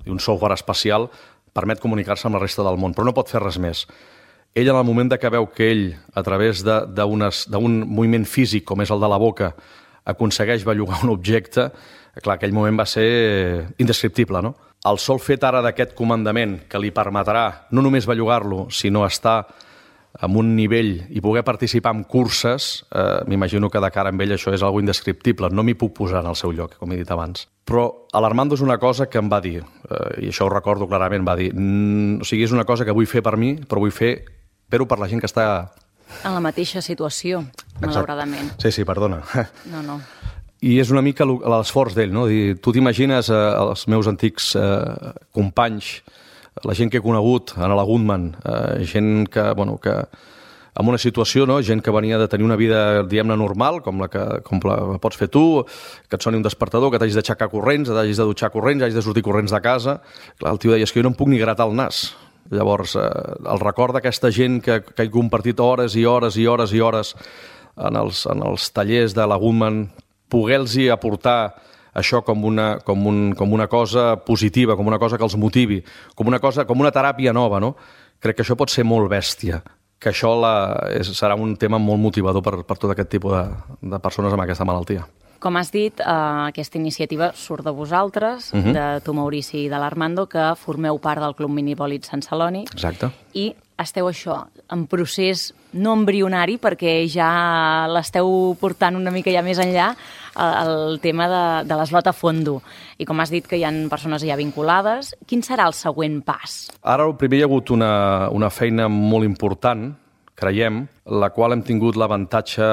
i un software especial permet comunicar-se amb la resta del món, però no pot fer res més. Ell, en el moment que veu que ell, a través d'un moviment físic, com és el de la boca, aconsegueix bellugar un objecte, clar, aquell moment va ser indescriptible, no? El sol fet ara d'aquest comandament que li permetrà no només bellugar-lo, sinó estar amb un nivell i poder participar en curses, eh, m'imagino que de cara amb ell això és algo indescriptible, no m'hi puc posar en el seu lloc, com he dit abans. Però a l'Armando és una cosa que em va dir, eh, i això ho recordo clarament, va dir, o sigui, és una cosa que vull fer per mi, però vull fer, però per la gent que està... En la mateixa situació, malauradament. Sí, sí, perdona. No, no. I és una mica l'esforç d'ell, no? Dir, tu t'imagines eh, els meus antics eh, companys, la gent que he conegut a la Gunman, eh, gent que, bueno, que en una situació, no? Gent que venia de tenir una vida, diguem-ne, normal, com la que com la pots fer tu, que et soni un despertador, que t'hagis d'aixecar corrents, que t'hagis de dutxar corrents, hagis de sortir corrents de casa. Clar, el tio deia, és que jo no em puc ni gratar el nas. Llavors, eh, el record d'aquesta gent que, que he compartit hores i hores i hores i hores en els, en els tallers de la Goodman, poder-los aportar això com una, com, un, com una cosa positiva, com una cosa que els motivi, com una cosa, com una teràpia nova, no? Crec que això pot ser molt bèstia, que això la, és, serà un tema molt motivador per, per tot aquest tipus de, de persones amb aquesta malaltia. Com has dit, eh, aquesta iniciativa surt de vosaltres, uh-huh. de tu, Maurici, i de l'Armando, que formeu part del Club Minivòlid Sant Celoni. Exacte. I esteu això, en procés no embrionari, perquè ja l'esteu portant una mica ja més enllà, el tema de, de l'eslot a fondo. I com has dit que hi ha persones ja vinculades, quin serà el següent pas? Ara, primer hi ha hagut una, una feina molt important, creiem, la qual hem tingut l'avantatge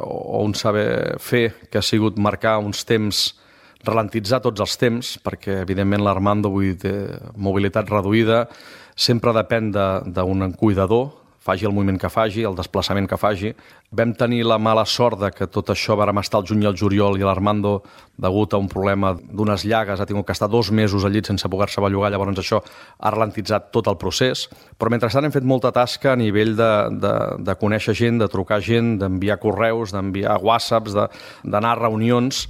o un saber fer, que ha sigut marcar uns temps, ralentitzar tots els temps, perquè evidentment l'Armando, vull dir, mobilitat reduïda, sempre depèn d'un cuidador, faci el moviment que faci, el desplaçament que faci. Vam tenir la mala sort de que tot això vàrem estar el juny i el juliol i l'Armando, degut a un problema d'unes llagues, ha tingut que estar dos mesos al llit sense poder-se bellugar, llavors això ha ralentitzat tot el procés. Però mentrestant hem fet molta tasca a nivell de, de, de conèixer gent, de trucar gent, d'enviar correus, d'enviar whatsapps, d'anar a reunions.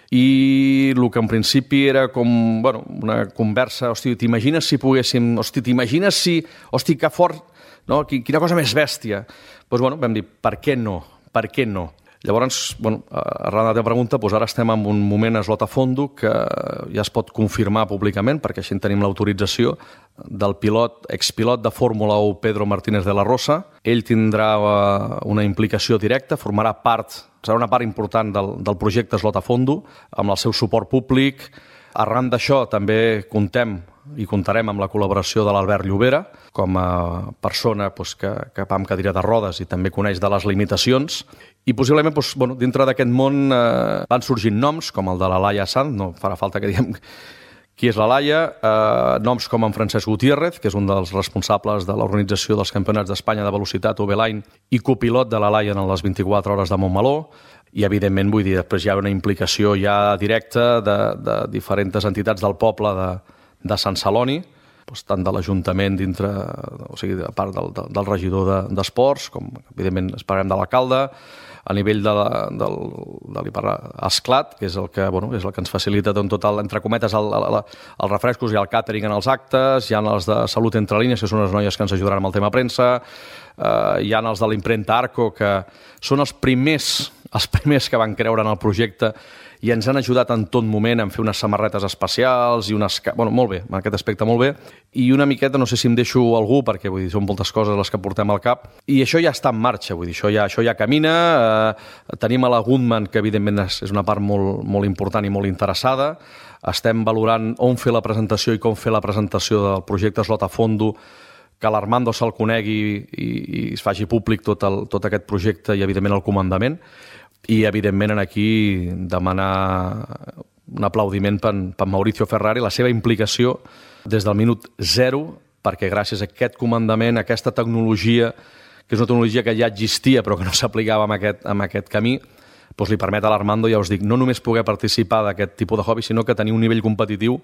I el que en principi era com, bueno, una conversa, hosti, t'imagines si poguéssim, hosti, t'imagines si, hosti, que fort, no? Quina cosa més bèstia. Doncs, bueno, vam dir, per què no? Per què no? Llavors, bueno, arran de la teva pregunta, doncs ara estem en un moment eslot a fondo que ja es pot confirmar públicament, perquè així tenim l'autorització del pilot, expilot de Fórmula u, Pedro Martínez de la Rosa. Ell tindrà una implicació directa, formarà part, serà una part important del, del projecte eslot a fondo, amb el seu suport públic. Arran d'això també contem i comptarem amb la col·laboració de l'Albert Llobera, com a persona doncs, que, que va amb cadira de rodes i també coneix de les limitacions. I possiblement, doncs, bueno, dintre d'aquest món eh, van sorgint noms, com el de la Laia Sanz, no farà falta que diguem qui és la Laia, eh, noms com en Francesc Gutiérrez, que és un dels responsables de l'organització dels Campionats d'Espanya de Velocitat, U B Line, i copilot de la Laia en les vint-i-quatre hores de Montmeló. I, evidentment, vull dir, després hi ha una implicació ja directa de, de diferents entitats del poble de, de Sant Celoni, doncs, tant de l'Ajuntament dintre, o sigui, a part del, del regidor d'esports, de, com, evidentment, esperem de l'alcalde, a nivell de, de, de l'Esclat, que és el que, bueno, és el que ens facilita doncs, tot, el, entre cometes, el, el, els refrescos i el càtering en els actes, hi ha els de Salut Entre Línies, que són les noies que ens ajudaran amb el tema premsa, eh, hi ha els de l'impremta Arco, que són els primers, els primers que van creure en el projecte i ens han ajudat en tot moment a fer unes samarretes especials i unes... Bueno, molt bé, en aquest aspecte molt bé. I una miqueta, no sé si em deixo algú, perquè vull dir, són moltes coses les que portem al cap, i això ja està en marxa, vull dir, això ja, això ja camina. Eh, tenim a la Goodman, que evidentment és, és una part molt, molt important i molt interessada. Estem valorant on fer la presentació i com fer la presentació del projecte Eslot a Fondo, que l'Armando se'l conegui i, i es faci públic tot, el, tot aquest projecte i, evidentment, el comandament. I, evidentment, aquí demanar un aplaudiment per, per Mauricio Ferrari, la seva implicació des del minut zero, perquè gràcies a aquest comandament, a aquesta tecnologia, que és una tecnologia que ja existia però que no s'aplicava en aquest, en aquest camí, doncs li permet a l'Armando, ja us dic, no només poder participar d'aquest tipus de hobby, sinó que tenir un nivell competitiu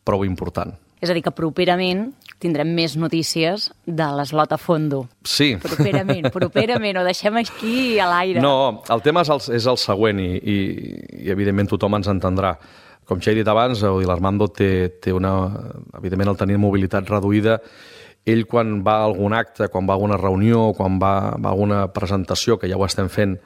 prou important. És a dir, que properament tindrem més notícies de l'eslot a fondo. Sí. Properament, properament, ho deixem aquí a l'aire. No, el tema és el, és el següent i, i, i evidentment tothom ens entendrà. Com ja he dit abans, l'Armando té, té una... Evidentment, el tenir mobilitat reduïda, ell quan va a algun acte, quan va a alguna reunió, quan va, va a alguna presentació, que ja ho estem fent,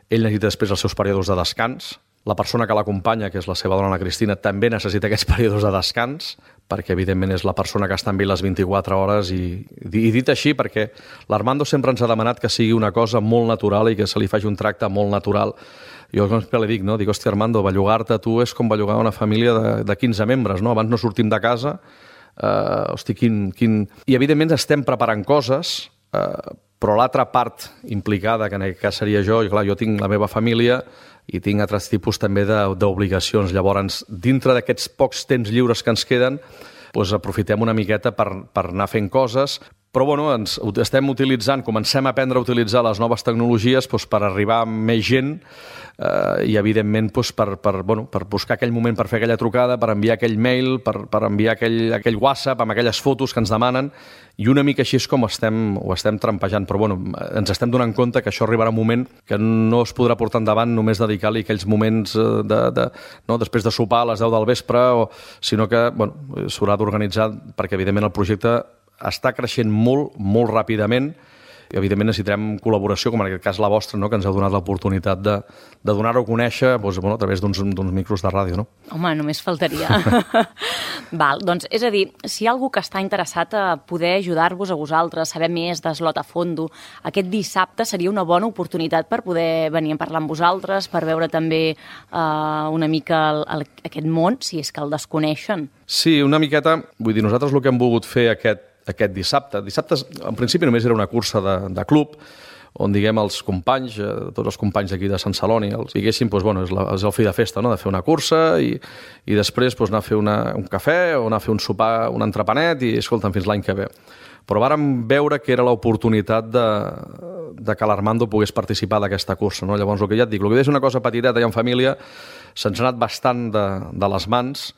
ell necessita després els seus períodes de descans. La persona que l'acompanya, que és la seva dona, la Cristina, també necessita aquests períodes de descans, perquè, evidentment, és la persona que està amb ell les vint-i-quatre hores. I, i dit així, perquè l'Armando sempre ens ha demanat que sigui una cosa molt natural i que se li faci un tracte molt natural. Jo sempre li dic, no? Dic, hòstia, Armando, bellugar-te a tu és com bellugar una família de, de quinze membres, no? Abans no sortim de casa. Uh, hosti, quin, quin... I, evidentment, estem preparant coses, uh, però l'altra part implicada, que en aquest cas seria jo, i clar, jo tinc la meva família i tinc altres tipus també d'obligacions. Llavors, dintre d'aquests pocs temps lliures que ens queden, doncs aprofitem una miqueta per, per anar fent coses, Però bueno, ens estem utilitzant, comencem a aprendre a utilitzar les noves tecnologies doncs, per arribar a més gent eh, i evidentment doncs, per, per, bueno, per buscar aquell moment per fer aquella trucada, per enviar aquell mail, per, per enviar aquell, aquell WhatsApp amb aquelles fotos que ens demanen, i una mica així és com estem, ho estem trampejant. Però bueno, ens estem donant compte que això arribarà un moment que no es podrà portar endavant només dedicar-li aquells moments de, de, no, després de sopar a les deu del vespre, o, sinó que bueno, s'haurà d'organitzar perquè evidentment el projecte està creixent molt, molt ràpidament i evidentment necessitarem col·laboració, com en aquest cas la vostra, no? Que ens heu donat l'oportunitat de, de donar-ho a conèixer doncs, bueno, a través d'uns micros de ràdio. No? Home, només faltaria. Val, doncs, és a dir, si hi ha algú que està interessat a poder ajudar-vos a vosaltres, saber més d'Slot a Fondo, aquest dissabte seria una bona oportunitat per poder venir a parlar amb vosaltres, per veure també uh, una mica el, el, aquest món, si és que el desconeixen. Sí, una miqueta. Vull dir, nosaltres el que hem volgut fer aquest aquest dissabte. Dissabte, en principi, només era una cursa de, de club, on, diguem, els companys, eh, tots els companys d'aquí de Sant Celoni, els diguéssim, doncs, bueno, és, la, és el fi de festa, no?, de fer una cursa i, i després doncs, anar a fer una, un cafè o anar a fer un sopar, un entrepanet i, escolta'm, fins l'any que ve. Però vàrem veure que era l'oportunitat de, de que l'Armando pogués participar d'aquesta cursa, no? Llavors, el que ja et dic, el que és una cosa petiteta i en família, se'ns ha anat bastant de, de les mans.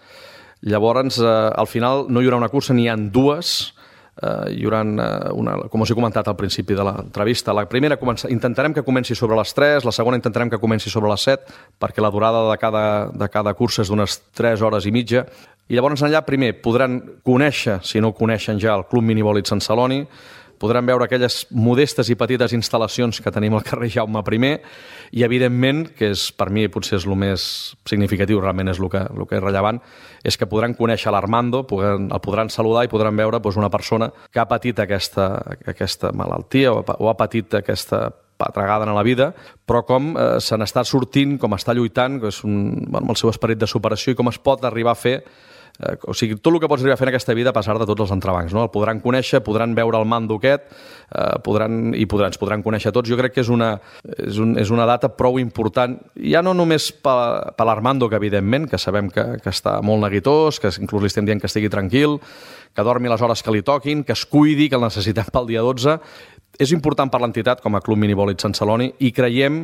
Llavors, eh, al final, no hi haurà una cursa, n'hi ha dues. Uh, hi haurà una, com us he comentat al principi de l'entrevista, la primera comença, intentarem que comenci sobre les tres, la segona intentarem que comenci sobre les set, perquè la durada de cada, de cada cursa és d'unes tres hores i mitja, i llavors allà primer podran conèixer, si no ho coneixen ja, el Club Minivòlit Sant Celoni, podran veure aquelles modestes i petites instal·lacions que tenim al carrer Jaume primer i, evidentment, que és, per mi potser és el més significatiu, realment és el que, el que és rellevant, és que podran conèixer l'Armando, el podran saludar i podran veure doncs, una persona que ha patit aquesta, aquesta malaltia o, o ha patit aquesta patregada en la vida, però com eh, se n'està sortint, com està lluitant, que és un, bueno, amb el seu esperit de superació i com es pot arribar a fer. Eh, o sigui, tot el que pots arribar a fer en aquesta vida a passar de tots els entrebancs, no? El podran conèixer, podran veure el mando aquest, eh, podran, i podran, ens podran conèixer tots. Jo crec que és una, és, un, és una data prou important, ja no només per, per l'Armando, que evidentment, que sabem que, que està molt neguitós, que inclús li estem dient que estigui tranquil, que dormi les hores que li toquin, que es cuidi, que el necessitem pel dia dotze. És important per l'entitat com a Club Minivòlit Sant Celoni i creiem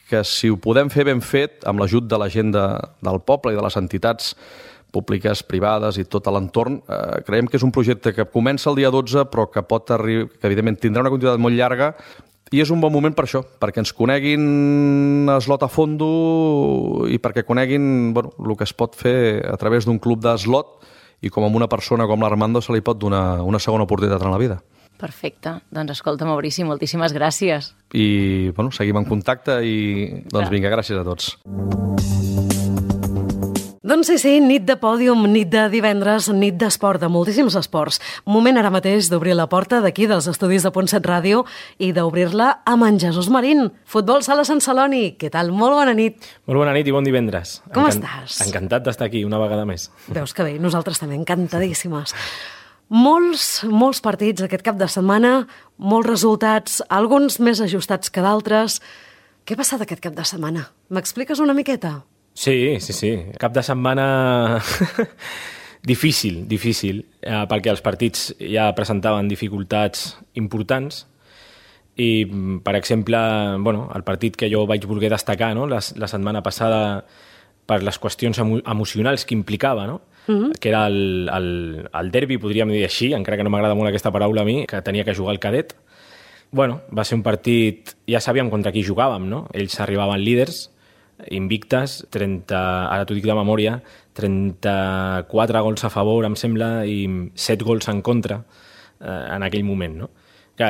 que si ho podem fer ben fet, amb l'ajut de la gent de, del poble i de les entitats públiques, privades i tot l'entorn, eh, creiem que és un projecte que comença el dia dotze, però que pot arribar, que evidentment tindrà una continuïtat molt llarga, i és un bon moment per això, perquè ens coneguin Slot a Fondo i perquè coneguin bueno, el que es pot fer a través d'un club d'eslot i com a una persona com l'Armando se li pot donar una segona oportunitat en la vida. Perfecte. Doncs escolta, Maurici, moltíssimes gràcies. I bueno, seguim en contacte i doncs vinga, gràcies a tots. Doncs sí, sí, nit de pòdium, nit de divendres, nit d'esport, de moltíssims esports. Moment ara mateix d'obrir la porta d'aquí dels estudis de Punt set Ràdio i d'obrir-la amb en Jesús Marín. Futbol Sala Sant Celoni, què tal? Molt bona nit. Molt bona nit i bon divendres. Com Encan- estàs? Encantat d'estar aquí una vegada més. Veus que bé, nosaltres també, encantadíssimes. Molts, molts partits aquest cap de setmana, molts resultats, alguns més ajustats que d'altres. Què ha passat aquest cap de setmana? M'expliques una miqueta? Sí, sí, sí. Cap de setmana difícil, difícil, eh, perquè els partits ja presentaven dificultats importants i, per exemple, bueno, el partit que jo vaig voler destacar, no?, la, la setmana passada per les qüestions emo emocionals que implicava, no?, mm-hmm. que era el, el, el derbi, podríem dir així, encara que no m'agrada molt aquesta paraula a mi, que tenia que jugar el cadet. Bueno, va ser un partit, ja sabíem contra qui jugàvem, no? Ells arribaven líders, invictes, trenta, ara t'ho dic de memòria, trenta-quatre gols a favor, em sembla, i set gols en contra eh, en aquell moment, no? Que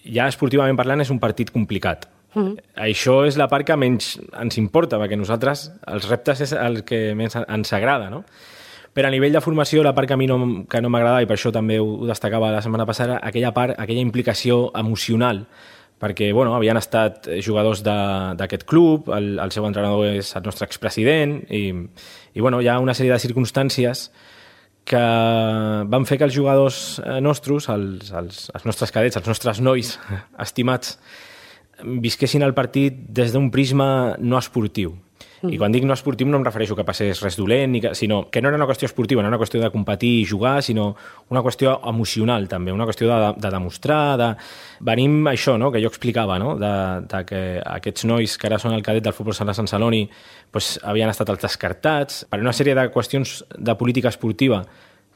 ja esportivament parlant és un partit complicat. Mm. Això és la part que menys ens importa, perquè nosaltres els reptes és el que més ens agrada, no? Però a nivell de formació, la part que a mi no, que no m'agradava, i per això també ho destacava la setmana passada, aquella part, aquella implicació emocional, perquè bueno, havien estat jugadors d'aquest club, el, el seu entrenador és el nostre expresident, i, i bueno, hi ha una sèrie de circumstàncies que van fer que els jugadors nostres, els, els, els nostres cadets, els nostres nois estimats, visquessin el partit des d'un prisma no esportiu. Mm. I quan dic no esportiu no em refereixo que passés res dolent, ni que, sinó que no era una qüestió esportiva, no era una qüestió de competir i jugar, sinó una qüestió emocional també, una qüestió de, de demostrar, de... Venim això, no?, que jo explicava, no?, de, de que aquests nois que ara són el cadet del futbol sala Sant Celoni pues, havien estat els descartats per una sèrie de qüestions de política esportiva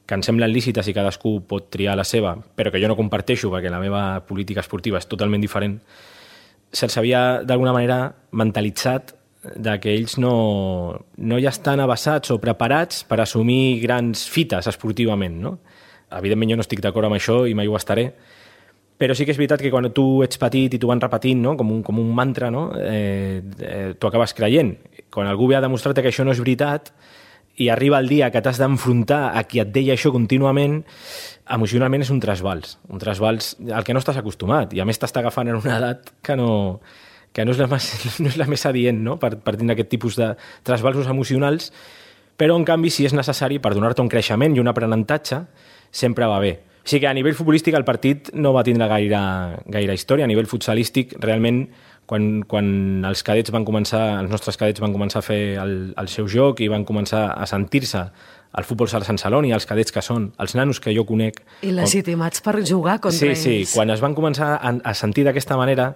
que em semblen lícites i cadascú pot triar la seva, però que jo no comparteixo perquè la meva política esportiva és totalment diferent, se'ls havia d'alguna manera mentalitzat de que ells no, no ja estan avançats o preparats per assumir grans fites esportivament, no? Evidentment jo no estic d'acord amb això i mai ho estaré, però sí que és veritat que quan tu ets petit i t'ho van repetint, no?, com, un, com un mantra, no?, eh, eh, t'ho acabes creient. Quan algú ve a demostrar-te que això no és veritat i arriba el dia que t'has d'enfrontar a qui et deia això contínuament, emocionalment és un trasbals, un trasbals al que no estàs acostumat i a més t'està agafant en una edat que no... que no és la més, no és la més adient, no?, per, per tenir aquest tipus de trasbalsos emocionals, però, en canvi, si és necessari per donar-te un creixement i un aprenentatge, sempre va bé. O sigui que a nivell futbolístic el partit no va tindre gaire, gaire història. A nivell futsalístic, realment, quan, quan els cadets van començar, els nostres cadets van començar a fer el, el seu joc i van començar a sentir-se al futbol sala Sant Celoni, els cadets que són, els nanos que jo conec... I legitimats per jugar contra sí, ells. Sí, sí, quan es van començar a, a sentir d'aquesta manera,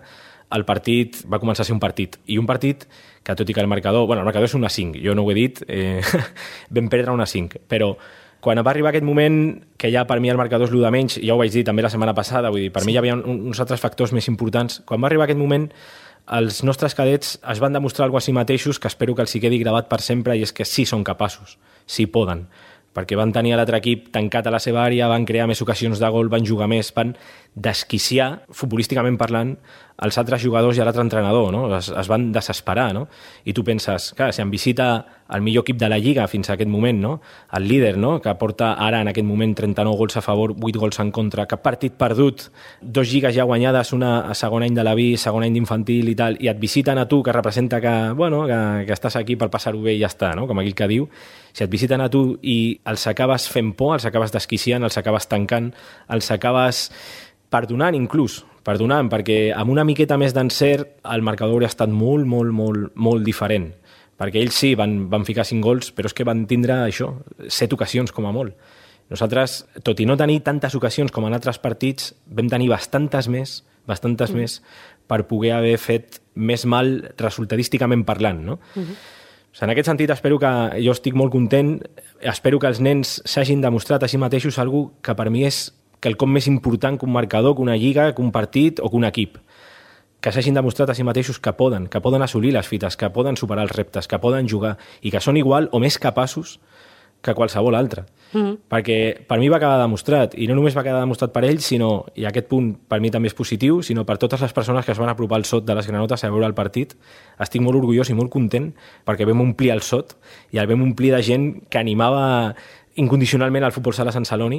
el partit va començar a ser un partit. I un partit que, tot i que el marcador... Bueno, el marcador és una cinc, jo no ho he dit, eh, vam perdre una cinc, però quan va arribar aquest moment, que ja per mi el marcador és l'u de menys, ja ho vaig dir també la setmana passada, vull dir, per sí. mi hi havia uns altres factors més importants. Quan va arribar aquest moment, els nostres cadets es van demostrar alguna cosa a si mateixos que espero que els hi quedi gravat per sempre, i és que sí són capaços, sí poden, perquè van tenir l'altre equip tancat a la seva àrea, van crear més ocasions de gol, van jugar més, van desquiciar, futbolísticament parlant, els altres jugadors i l'altre entrenador, no? Es, es van desesperar, no? I tu penses, clar, si en visita el millor equip de la Lliga fins a aquest moment, no?, el líder, no?, que porta ara en aquest moment trenta-nou gols a favor, vuit gols en contra, cap partit perdut, dos lligues ja guanyades, una a segon any de la B, segon any d'infantil i tal, i et visiten a tu, que representa que, bueno, que, que estàs aquí per passar-ho bé i ja està, no?, com aquell que diu, si et visiten a tu i els acabes fent por, els acabes desquiciant, els acabes tancant, els acabes perdonant inclús, perdonant, perquè amb una miqueta més d'encert el marcador hauria estat molt, molt, molt, molt diferent. Perquè ells sí, van, van ficar cinc gols, però és que van tindre això, set ocasions com a molt. Nosaltres, tot i no tenir tantes ocasions com en altres partits, vam tenir bastantes més, bastantes mm. més, per poder haver fet més mal resultadísticament parlant, no? Mm-hmm. O sigui, en aquest sentit, espero que jo estic molt content, espero que els nens s'hagin demostrat a si mateixos algú que per mi és quelcom més important que un marcador, que una lliga, que un partit o que un equip. Que s'hagin demostrat a si mateixos que poden, que poden assolir les fites, que poden superar els reptes, que poden jugar i que són igual o més capaços que qualsevol altre. Mm-hmm. Perquè per mi va quedar demostrat, i no només va quedar demostrat per ells, sinó, i aquest punt per mi també és positiu, sinó per totes les persones que es van apropar al sot de les granotes a veure el partit. Estic molt orgullós i molt content perquè vam omplir el sot i el vam omplir de gent que animava incondicionalment al futbol sala Sant Celoni,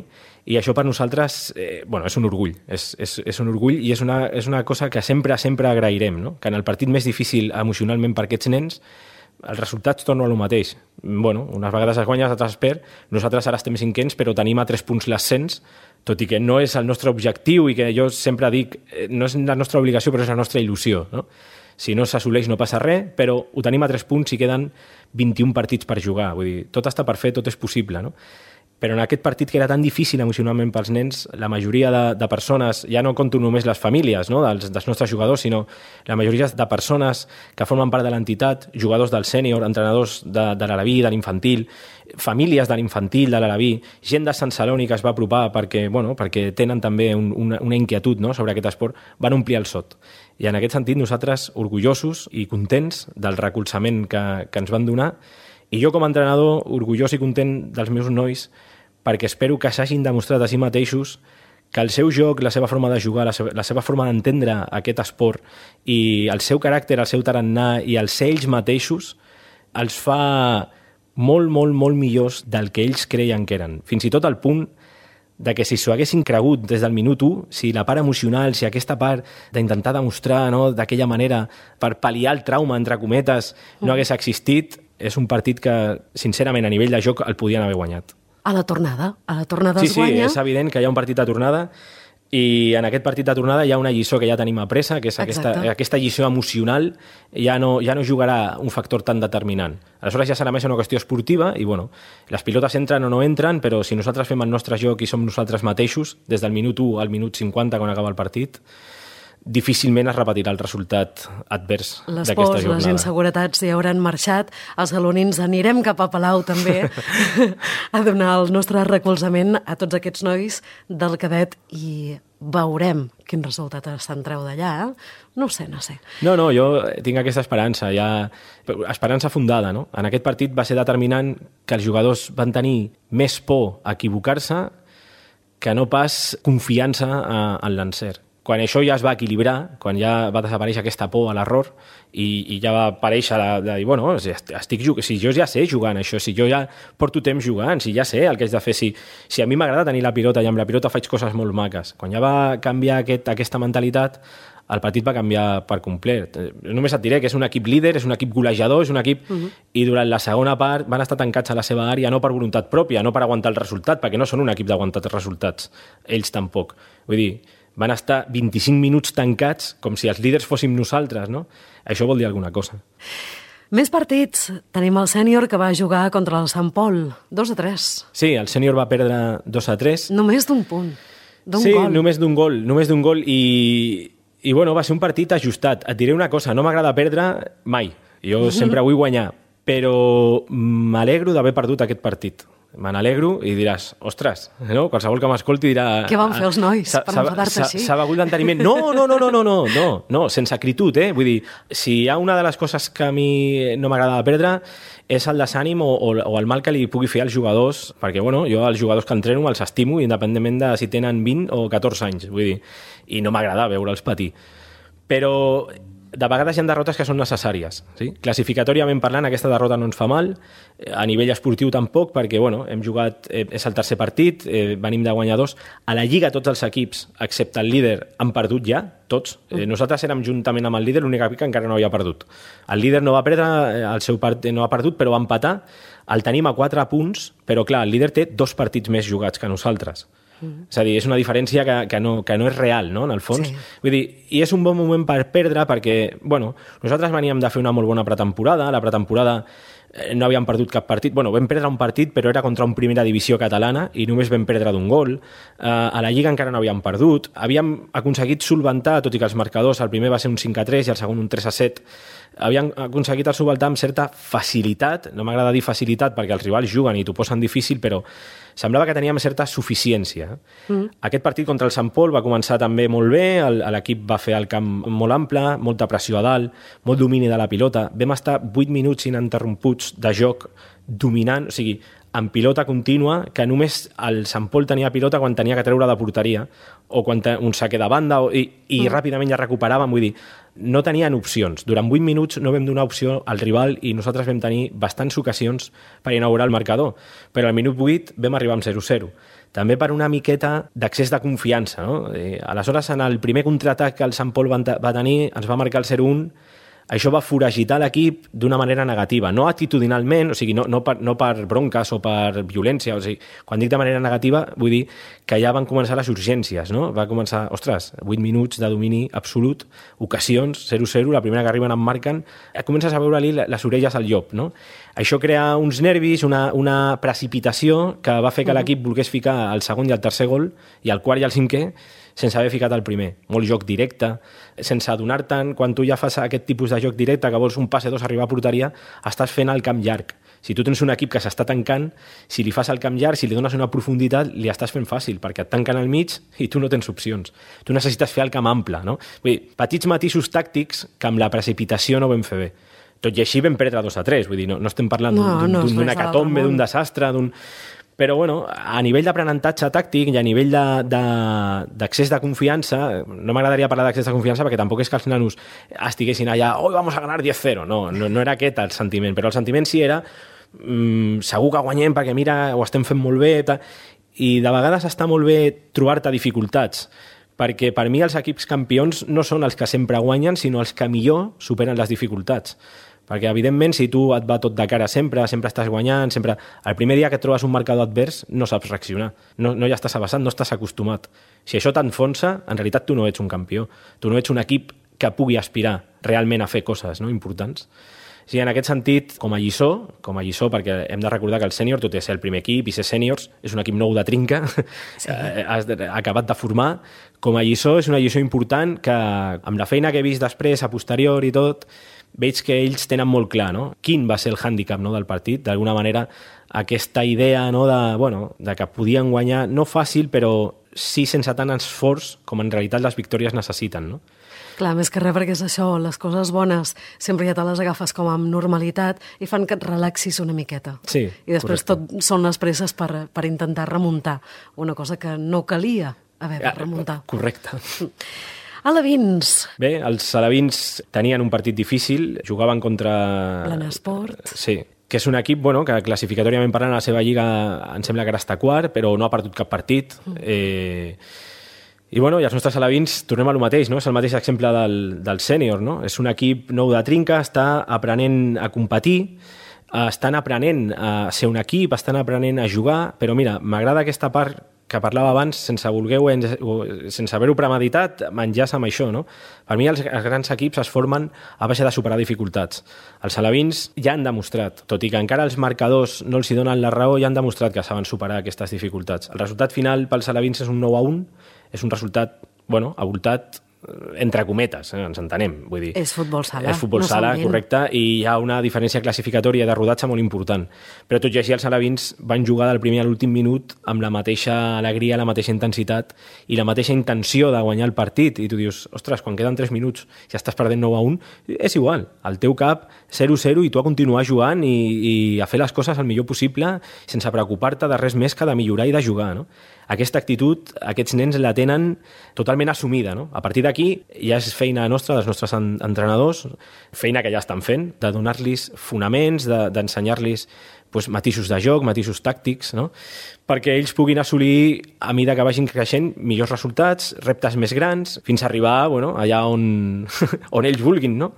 i això per nosaltres eh, bueno, és un orgull, és, és, és un orgull i és una, és una cosa que sempre sempre agrairem, no? Que en el partit més difícil emocionalment per aquests nens els resultats tornen a lo mateix. Bueno, unes vegades es guanya, altres es perd. Nosaltres ara estem cinquens, però tenim a tres punts l'ascens, tot i que no és el nostre objectiu i que jo sempre dic, no és la nostra obligació, però és la nostra il·lusió, no? Si no s'assoleix no passa res, però ho tenim a tres punts i queden vint-i-un partits per jugar. Vull dir, tot està per fer, tot és possible, no? Però en aquest partit que era tan difícil emocionalment pels nens, la majoria de, de persones, ja no conto només les famílies, no?, dels, dels nostres jugadors, sinó la majoria de persones que formen part de l'entitat, jugadors del sènior, entrenadors de, de l'Alaví, de l'infantil, famílies de l'infantil, de l'Alaví, gent de Sant Celoni que es va apropar perquè, bueno, perquè tenen també un, una, una inquietud, no?, sobre aquest esport, van omplir el sot. I en aquest sentit nosaltres orgullosos i contents del recolzament que, que ens van donar, i jo com a entrenador orgullós i content dels meus nois, perquè espero que s'hagin demostrat a si mateixos que el seu joc, la seva forma de jugar, la seva, la seva forma d'entendre aquest esport i el seu caràcter, el seu tarannà i els ells mateixos els fa molt, molt, molt millors del que ells creien que eren. Fins i tot al punt de que si s'ho haguessin cregut des del minut u, si la part emocional, si aquesta part d'intentar demostrar, no, d'aquella manera per pal·liar el trauma, entre cometes, no hagués existit, és un partit que, sincerament, a nivell de joc el podien haver guanyat. A la tornada, a la tornada sí, es guanya. Sí, és evident que hi ha un partit de tornada. I en aquest partit de tornada hi ha una lliçó que ja tenim apresa, que és aquesta, aquesta lliçó emocional, ja no, ja no jugarà un factor tan determinant. Aleshores ja serà més una qüestió esportiva i, bueno, les pilotes entren o no entren, però si nosaltres fem el nostre joc i som nosaltres mateixos, des del minut u al minut cinquanta, quan acaba el partit, difícilment es repetirà el resultat advers d'aquesta jornada. Les pors, les inseguretats ja hauran marxat. Els galonins anirem cap a Palau també a donar el nostre recolzament a tots aquests nois del cadet i veurem quin resultat se'n treu d'allà. Eh? No ho sé, no sé. No, no, jo tinc aquesta esperança, ja... esperança fundada, no? En aquest partit va ser determinant que els jugadors van tenir més por a equivocar-se que no pas confiança en l'encert. Quan això ja es va equilibrar, quan ja va desaparèixer aquesta por a l'error i, i ja va aparèixer de, de dir, bueno, estic jugant, si jo ja sé jugant això, si jo ja porto temps jugant, si ja sé el que haig de fer, si, si a mi m'agrada tenir la pilota i amb la pilota faig coses molt maques. Quan ja va canviar aquest, aquesta mentalitat, el partit va canviar per complet. Només et diré que és un equip líder, és un equip golejador, és un equip... Uh-huh. I durant la segona part van estar tancats a la seva àrea, no per voluntat pròpia, no per aguantar el resultat, perquè no són un equip d'aguantar els resultats, ells tampoc. Vull dir, van estar vint-i-cinc minuts tancats com si els líders fóssim nosaltres, no? Això vol dir alguna cosa. Més partits. Tenim el sènior que va jugar contra el Sant Pol. dos a tres. Sí, el sènior va perdre dos a tres. Només d'un punt. D'un sí, gol. només d'un gol. Només d'un gol i... I bueno, va ser un partit ajustat. Et diré una cosa, no m'agrada perdre mai. Jo sempre vull guanyar. Però m'alegro d'haver perdut aquest partit. Me n'alegro i diràs, ostres, no? Qualsevol que m'escolti dirà... Què van fer els nois per enfadar-te així? S'ha begut l'enteniment. No, no, no, no, no, no, no, no, sense acritud, eh? Vull dir, si hi ha una de les coses que a mi no m'agrada perdre és el desànim o, o, o el mal que li pugui fer als jugadors, perquè, bueno, jo els jugadors que entreno els estimo independentment de si tenen vint o catorze anys, vull dir, i no m'agrada veure'ls patir. Però de vegades hi ha derrotes que són necessàries. Sí? Classificatòriament parlant, aquesta derrota no ens fa mal, a nivell esportiu tampoc, perquè bueno, hem jugat, eh, és el tercer partit, eh, venim de guanyadors. A la Lliga tots els equips, excepte el líder, han perdut ja, tots. Eh, nosaltres érem juntament amb el líder l'únic equip que encara no havia perdut. El líder no va perdre, el seu part, no ha perdut, però va empatar. El tenim a quatre punts, però clar, el líder té dos partits més jugats que nosaltres. Mm. És a dir, és una diferència que, que, no, que no és real, no?, en el fons. Sí. Vull dir, i és un bon moment per perdre perquè, bueno, nosaltres veníem de fer una molt bona pretemporada, la pretemporada eh, no havíem perdut cap partit, bueno, vam perdre un partit però era contra un primera divisió catalana i només vam perdre d'un gol, eh, a la Lliga encara no havíem perdut, havíem aconseguit solventar, tot i que els marcadors, el primer va ser un cinc a tres i el segon un tres a set, havien aconseguit el solventar amb certa facilitat, no m'agrada dir facilitat perquè els rivals juguen i t'ho posen difícil, però semblava que teníem certa suficiència. Mm. Aquest partit contra el Sant Pol va començar també molt bé, l'equip va fer el camp molt ample, molta pressió a dalt, molt domini de la pilota, vam estar vuit minuts ininterromputs de joc dominant, o sigui, amb pilota contínua, que només el Sant Pol tenia pilota quan tenia que treure de porteria, o quan un saque de banda, o, i, i mm. ràpidament ja recuperàvem, vull dir, no tenien opcions. Durant vuit minuts no vam donar opció al rival i nosaltres vam tenir bastants ocasions per inaugurar el marcador, però al minut vuit vam arribar amb zero a zero. També per una miqueta d'accés de confiança, no? I, aleshores, en el primer contraatac que el Sant Pol va, va tenir, ens va marcar el zero a un, això va foragitar l'equip d'una manera negativa, no atitudinalment, o sigui, no, no, per, no per bronques o per violència, o sigui, quan dic de manera negativa vull dir que ja van començar les urgències, no? Va començar, ostres, vuit minuts de domini absolut, ocasions, zero a zero, la primera que arriben em marquen, comences a veure-li les orelles al llop, no? Això crea uns nervis, una, una precipitació que va fer que l'equip volgués ficar el segon i el tercer gol, i el quart i el cinquè, sense haver ficat el primer. Molt joc directe, sense adonar-te'n, quan tu ja fas aquest tipus de joc directe, que vols un passe dos arribar a porteria, estàs fent el camp llarg. Si tu tens un equip que s'està tancant, si li fas el camp llarg, si li dones una profunditat, li estàs fent fàcil, perquè et tanquen al mig i tu no tens opcions. Tu necessites fer el camp ample, no? Vull dir, petits matisos tàctics que amb la precipitació no vam fer bé. Tot i així vam perdre dos a tres, vull dir, no, no estem parlant no, d'un, no, d'un hecatombe, d'un desastre, d'un... Però, bueno, a nivell d'aprenentatge tàctic i a nivell d'accés de, de, de confiança, no m'agradaria parlar d'accés de confiança perquè tampoc és que els nanos estiguessin allà, hoy vamos a ganar diez a cero, no, no, no era aquest el sentiment, però el sentiment sí era mmm, segur que guanyem perquè mira, ho estem fent molt bé, tal, i de vegades està molt bé trobar-te dificultats, perquè per mi els equips campions no són els que sempre guanyen, sinó els que millor superen les dificultats. Perquè, evidentment, si tu et va tot de cara sempre, sempre estàs guanyant, sempre... El primer dia que et trobes un marcador advers no saps reaccionar, no, no ja estàs avançant, no estàs acostumat. Si això t'enfonsa, en realitat tu no ets un campió, tu no ets un equip que pugui aspirar realment a fer coses, no?, importants. Sí, en aquest sentit, com a lliçó, com a lliçó, perquè hem de recordar que el sènior, tot i ser el primer equip i ser sèniors, és un equip nou de trinca, sí. Has acabat de formar. Com a lliçó, és una lliçó important que, amb la feina que he vist després, a posterior i tot, veig que ells tenen molt clar, no?, quin va ser el hàndicap, no?, del partit. D'alguna manera, aquesta idea, no?, de, bueno, de que podien guanyar, no fàcil, però sí sense tant esforç com en realitat les victòries necessiten, no? Clar, més que res perquè és això, les coses bones sempre ja te les agafes com amb normalitat i fan que et relaxis una miqueta. Sí, I després correcte. tot són les presses per, per intentar remuntar, una cosa que no calia haver de remuntar. Correcte. Alevins. Bé, els alevins tenien un partit difícil, jugaven contra... Planesport. Sí, que és un equip, bueno, que classificatoriament parlant a la seva lliga em sembla que ara està quart, però no ha perdut cap partit. Mm. Eh... I, bueno, i els nostres alevins, tornem a lo mateix, no? És el mateix exemple del, del sènior, no? És un equip nou de trinca, està aprenent a competir, estan aprenent a ser un equip, estan aprenent a jugar, però mira, m'agrada aquesta part que parlava abans, sense voler sense haver-ho premeditat, m'enllaça amb això, no? Per mi els, els grans equips es formen a base de superar dificultats. Els alevins ja han demostrat, tot i que encara els marcadors no els hi donen la raó, ja han demostrat que saben superar aquestes dificultats. El resultat final pels alevins és un nou a un, és un resultat, bueno, avoltat entre cometes, eh, ens entenem, vull dir. És futbol sala. És futbol no sala, correcte, i hi ha una diferència classificatòria de rodatge molt important. Però tot i així els alevins van jugar del primer a l'últim minut amb la mateixa alegria, la mateixa intensitat i la mateixa intenció de guanyar el partit. I tu dius, ostres, quan queden tres minuts ja estàs perdent nou a un, és igual, al teu cap zero zero i tu a continuar jugant i, i a fer les coses el millor possible sense preocupar-te de res més que de millorar i de jugar, no? Aquesta actitud, aquests nens la tenen totalment assumida, no? A partir d'aquí ja és feina nostra, dels nostres entrenadors, feina que ja estan fent, de donar-los fonaments, d'ensenyar-los pues, matisos de joc, matisos tàctics, no? Perquè ells puguin assolir, a mida que vagin creixent, millors resultats, reptes més grans, fins a arribar, bueno, allà on, on ells vulguin, no?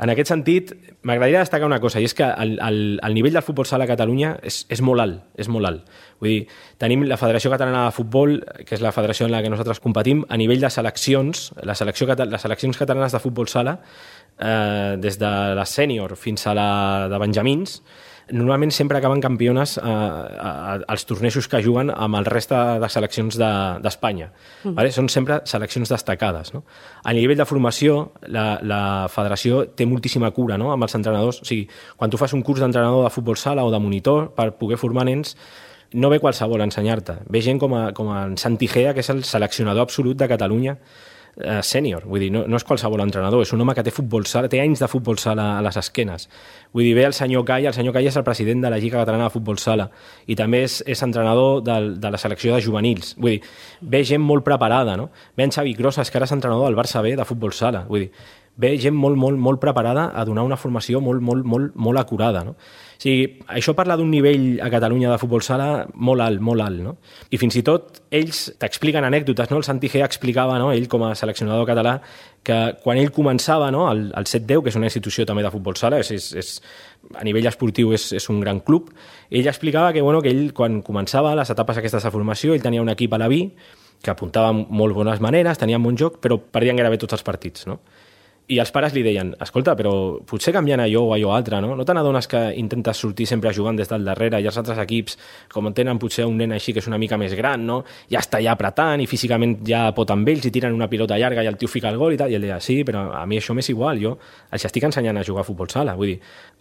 En aquest sentit, m'agradaria destacar una cosa, i és que el, el, el nivell del futbol sala a Catalunya és, és molt alt, és molt alt. Vull dir, tenim la Federació Catalana de Futbol, que és la federació en la que nosaltres competim, a nivell de seleccions, la selecció, les seleccions catalanes de futbol sala, eh, des de la sènior fins a la de benjamins, normalment sempre acaben campiones eh, als tornejos que juguen amb el reste de seleccions d'Espanya. De, mm. Vale? Són sempre seleccions destacades. No? A nivell de formació, la, la federació té moltíssima cura, no?, amb els entrenadors. O sigui, quan tu fas un curs d'entrenador de futbol sala o de monitor per poder formar nens, no ve qualsevol a ensenyar-te. Ve gent com, a, com en Santi Gea, que és el seleccionador absolut de Catalunya, Uh, sènior, vull dir, no, no és qualsevol entrenador, és un home que té futbol sala, té anys de futbol sala a les esquenes. Vull dir, ve el senyor Cai, el senyor Cai és el president de la Lliga Catalana de Futbol Sala i també és, és entrenador de, de la selecció de juvenils. Vull dir, ve gent molt preparada, no? Ve en Xavi Crosas, que ara és entrenador del Barça B de futbol sala. Vull dir, ve gent molt, molt, molt preparada a donar una formació molt, molt, molt, molt acurada, no? O sigui, això parla d'un nivell a Catalunya de futbol sala molt alt, molt alt, no? I fins i tot ells t'expliquen anècdotes, no? El Santi Gea explicava, no?, ell com a seleccionador català, que quan ell començava, no?, el, el set deu, que és una institució també de futbol sala, és, és, és, a nivell esportiu és, és un gran club, ell explicava que, bueno, que ell, quan començava les etapes aquestes de formació, ell tenia un equip a la B, que apuntava molt bones maneres, tenia un bon joc, però perdien gairebé tots els partits, no? I els pares li deien, escolta, però potser canviant allò o allò altre, no? No te n'adones que intentes sortir sempre jugant des del darrere i els altres equips, com tenen potser un nen així que és una mica més gran, no? Ja està ja apretant i físicament ja pot amb ells i tiren una pilota llarga i el tio fica el gol i tal. I ell deia, sí, però a mi això m'és igual, jo els estic ensenyant a jugar a futbol sala. Vull dir,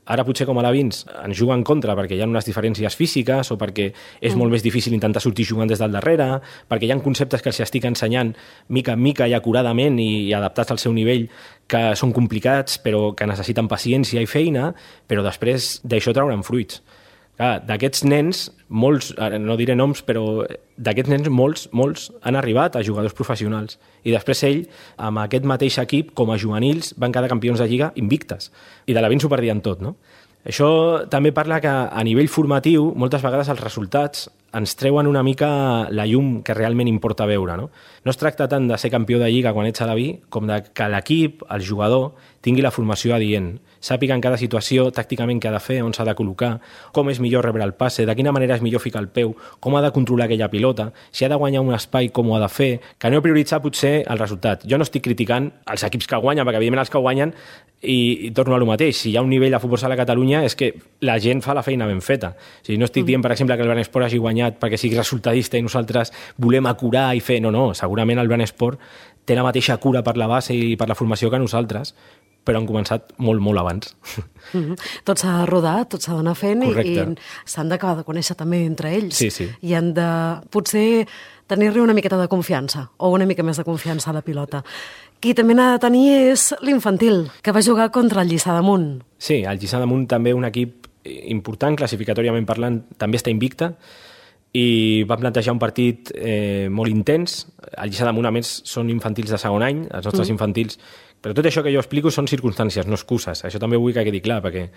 ara potser com a alevins ens juga en contra perquè hi ha unes diferències físiques o perquè és molt més difícil intentar sortir jugant des del darrere, perquè hi ha conceptes que els estic ensenyant mica en mica i acuradament i adaptats al seu nivell que són complicats però que necessiten paciència i feina, però després d'això trauran fruits. Clar, d'aquests nens, molts, no diré noms, però d'aquests nens molts, molts han arribat a jugadors professionals. I després ell, amb aquest mateix equip, com a juvenils, van quedar campions de Lliga invictes. I de l'Alevins ho perdien tot, no? Això també parla que a nivell formatiu moltes vegades els resultats ens treuen una mica la llum que realment importa veure. No, no es tracta tant de ser campió de Lliga quan ets a la B com de que l'equip, el jugador, tingui la formació adient, sàpiga en cada situació tàcticament què ha de fer, on s'ha de col·locar, com és millor rebre el passe, de quina manera és millor ficar el peu, com ha de controlar aquella pilota, si ha de guanyar un espai, com ho ha de fer, que no prioritzar potser el resultat. Jo no estic criticant els equips que guanyen, perquè evidentment els que guanyen, i, i torno a lo mateix, si hi ha un nivell de futbol sala a Catalunya és que la gent fa la feina ben feta. O sigui, no estic dient, per exemple, que el Branesport hagi guanyat perquè sigui resultadista i nosaltres volem acurar i fer... No, no, segurament el Branesport té la mateixa cura per la base i per la formació que nosaltres, però han començat molt, molt abans. Mm-hmm. Tot s'ha de rodar, tot s'ha d'anar fent i, Correcte. i s'han d'acabar de conèixer també entre ells. Sí, sí. I han de, potser, tenir-li una miqueta de confiança o una mica més de confiança a la pilota. Qui també n'ha de tenir és l'infantil, que va jugar contra el Lliçà d'Amunt. Sí, el Lliçà d'Amunt també un equip important, classificatòriament parlant, també està invicta, i va plantejar un partit eh, molt intens. El Lliçà d'Amunt, a més, són infantils de segon any, els nostres mm. infantils. Però tot això que jo explico són circumstàncies, no excuses. Això també vull que quedi clar, perquè...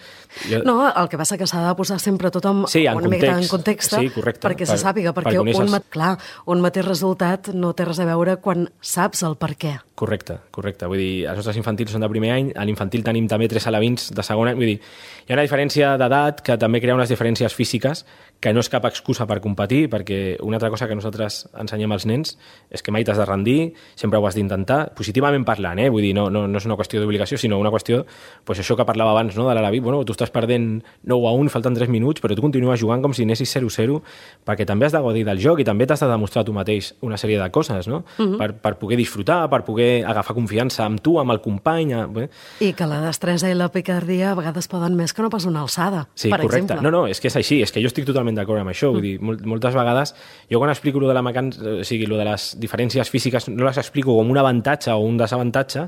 Jo... No, el que passa que s'ha de posar sempre tot en, sí, en una context. mica en context, sí, correcte, perquè per, se sàpiga, perquè per un, mat... clar, un mateix resultat no té res a veure quan saps el per què. Correcte, correcte. Vull dir, els nostres infantils són de primer any, a l'infantil tenim també tres alevins de segon any. Vull dir, hi ha una diferència d'edat que també crea unes diferències físiques que no és cap excusa per competir, perquè una altra cosa que nosaltres ensenyem als nens és que mai t'has de rendir, sempre ho has d'intentar, positivament parlant, eh? Vull dir, no, no, no és una qüestió d'obligació, sinó una qüestió, pues això que parlava abans, no?, de l'Alaví, bueno, tu estàs perdent nou a un, falten tres minuts, però tu continues jugant com si anessis zero a zero, perquè també has de gaudir del joc i també t'has de demostrar tu mateix una sèrie de coses, no?, uh-huh. per, per poder disfrutar, per poder agafar confiança amb tu, amb el company... Eh? I que la destresa i la picardia a vegades poden més que no pas una alçada, sí, per correcte. exemple. No, no, és que és així, és que jo estic totalment d'acord amb això, vull dir, moltes vegades jo quan explico lo de la mecànica, o sigui, lo de les diferències físiques no les explico com un avantatge o un desavantatge,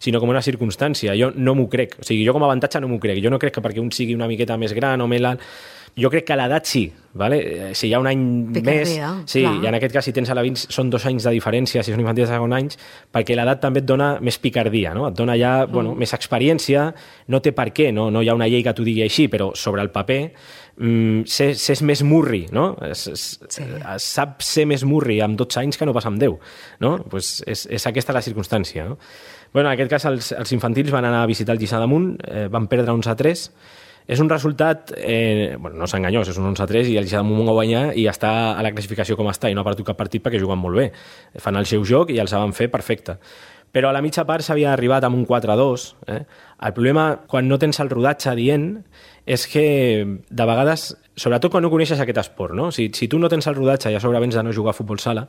sinó com una circumstància. Jo no m'ho crec, o sigui, jo com a avantatge no m'ho crec, jo no crec que perquè un sigui una miqueta més gran o més alt, jo crec que a l'edat sí, vale? Si hi ha un any Picardia, més... Sí, clar. I en aquest cas, si tens alevins, són dos anys de diferència, si són infantils de segon anys, perquè l'edat també et dona més picardia, no? Et dona ja, mm. bueno, més experiència, no té per què, no? No hi ha una llei que t'ho digui així, però sobre el paper mm, s'és més murri, no? Es, es, sí. es sap ser més murri amb dotze anys que no pas amb deu, no? Pues és, és aquesta la circumstància, no? Bueno, en aquest cas, els, els infantils van anar a visitar el Lliçà d'Amunt, eh, van perdre onze a tres. És un resultat, eh, bueno, no és enganyós, és un onze a tres i el Lliçà d'Amunt va guanyar i està a la classificació com està i no ha perdut cap partit perquè juguen molt bé. Fan el seu joc i els van fer perfecte. Però a la mitja part s'havia arribat amb un quatre a dos. Eh? El problema, quan no tens el rodatge adient, és que de vegades, sobretot quan no coneixes aquest esport, no? Si, si tu no tens el rodatge i a sobre vens de no jugar a futbol sala,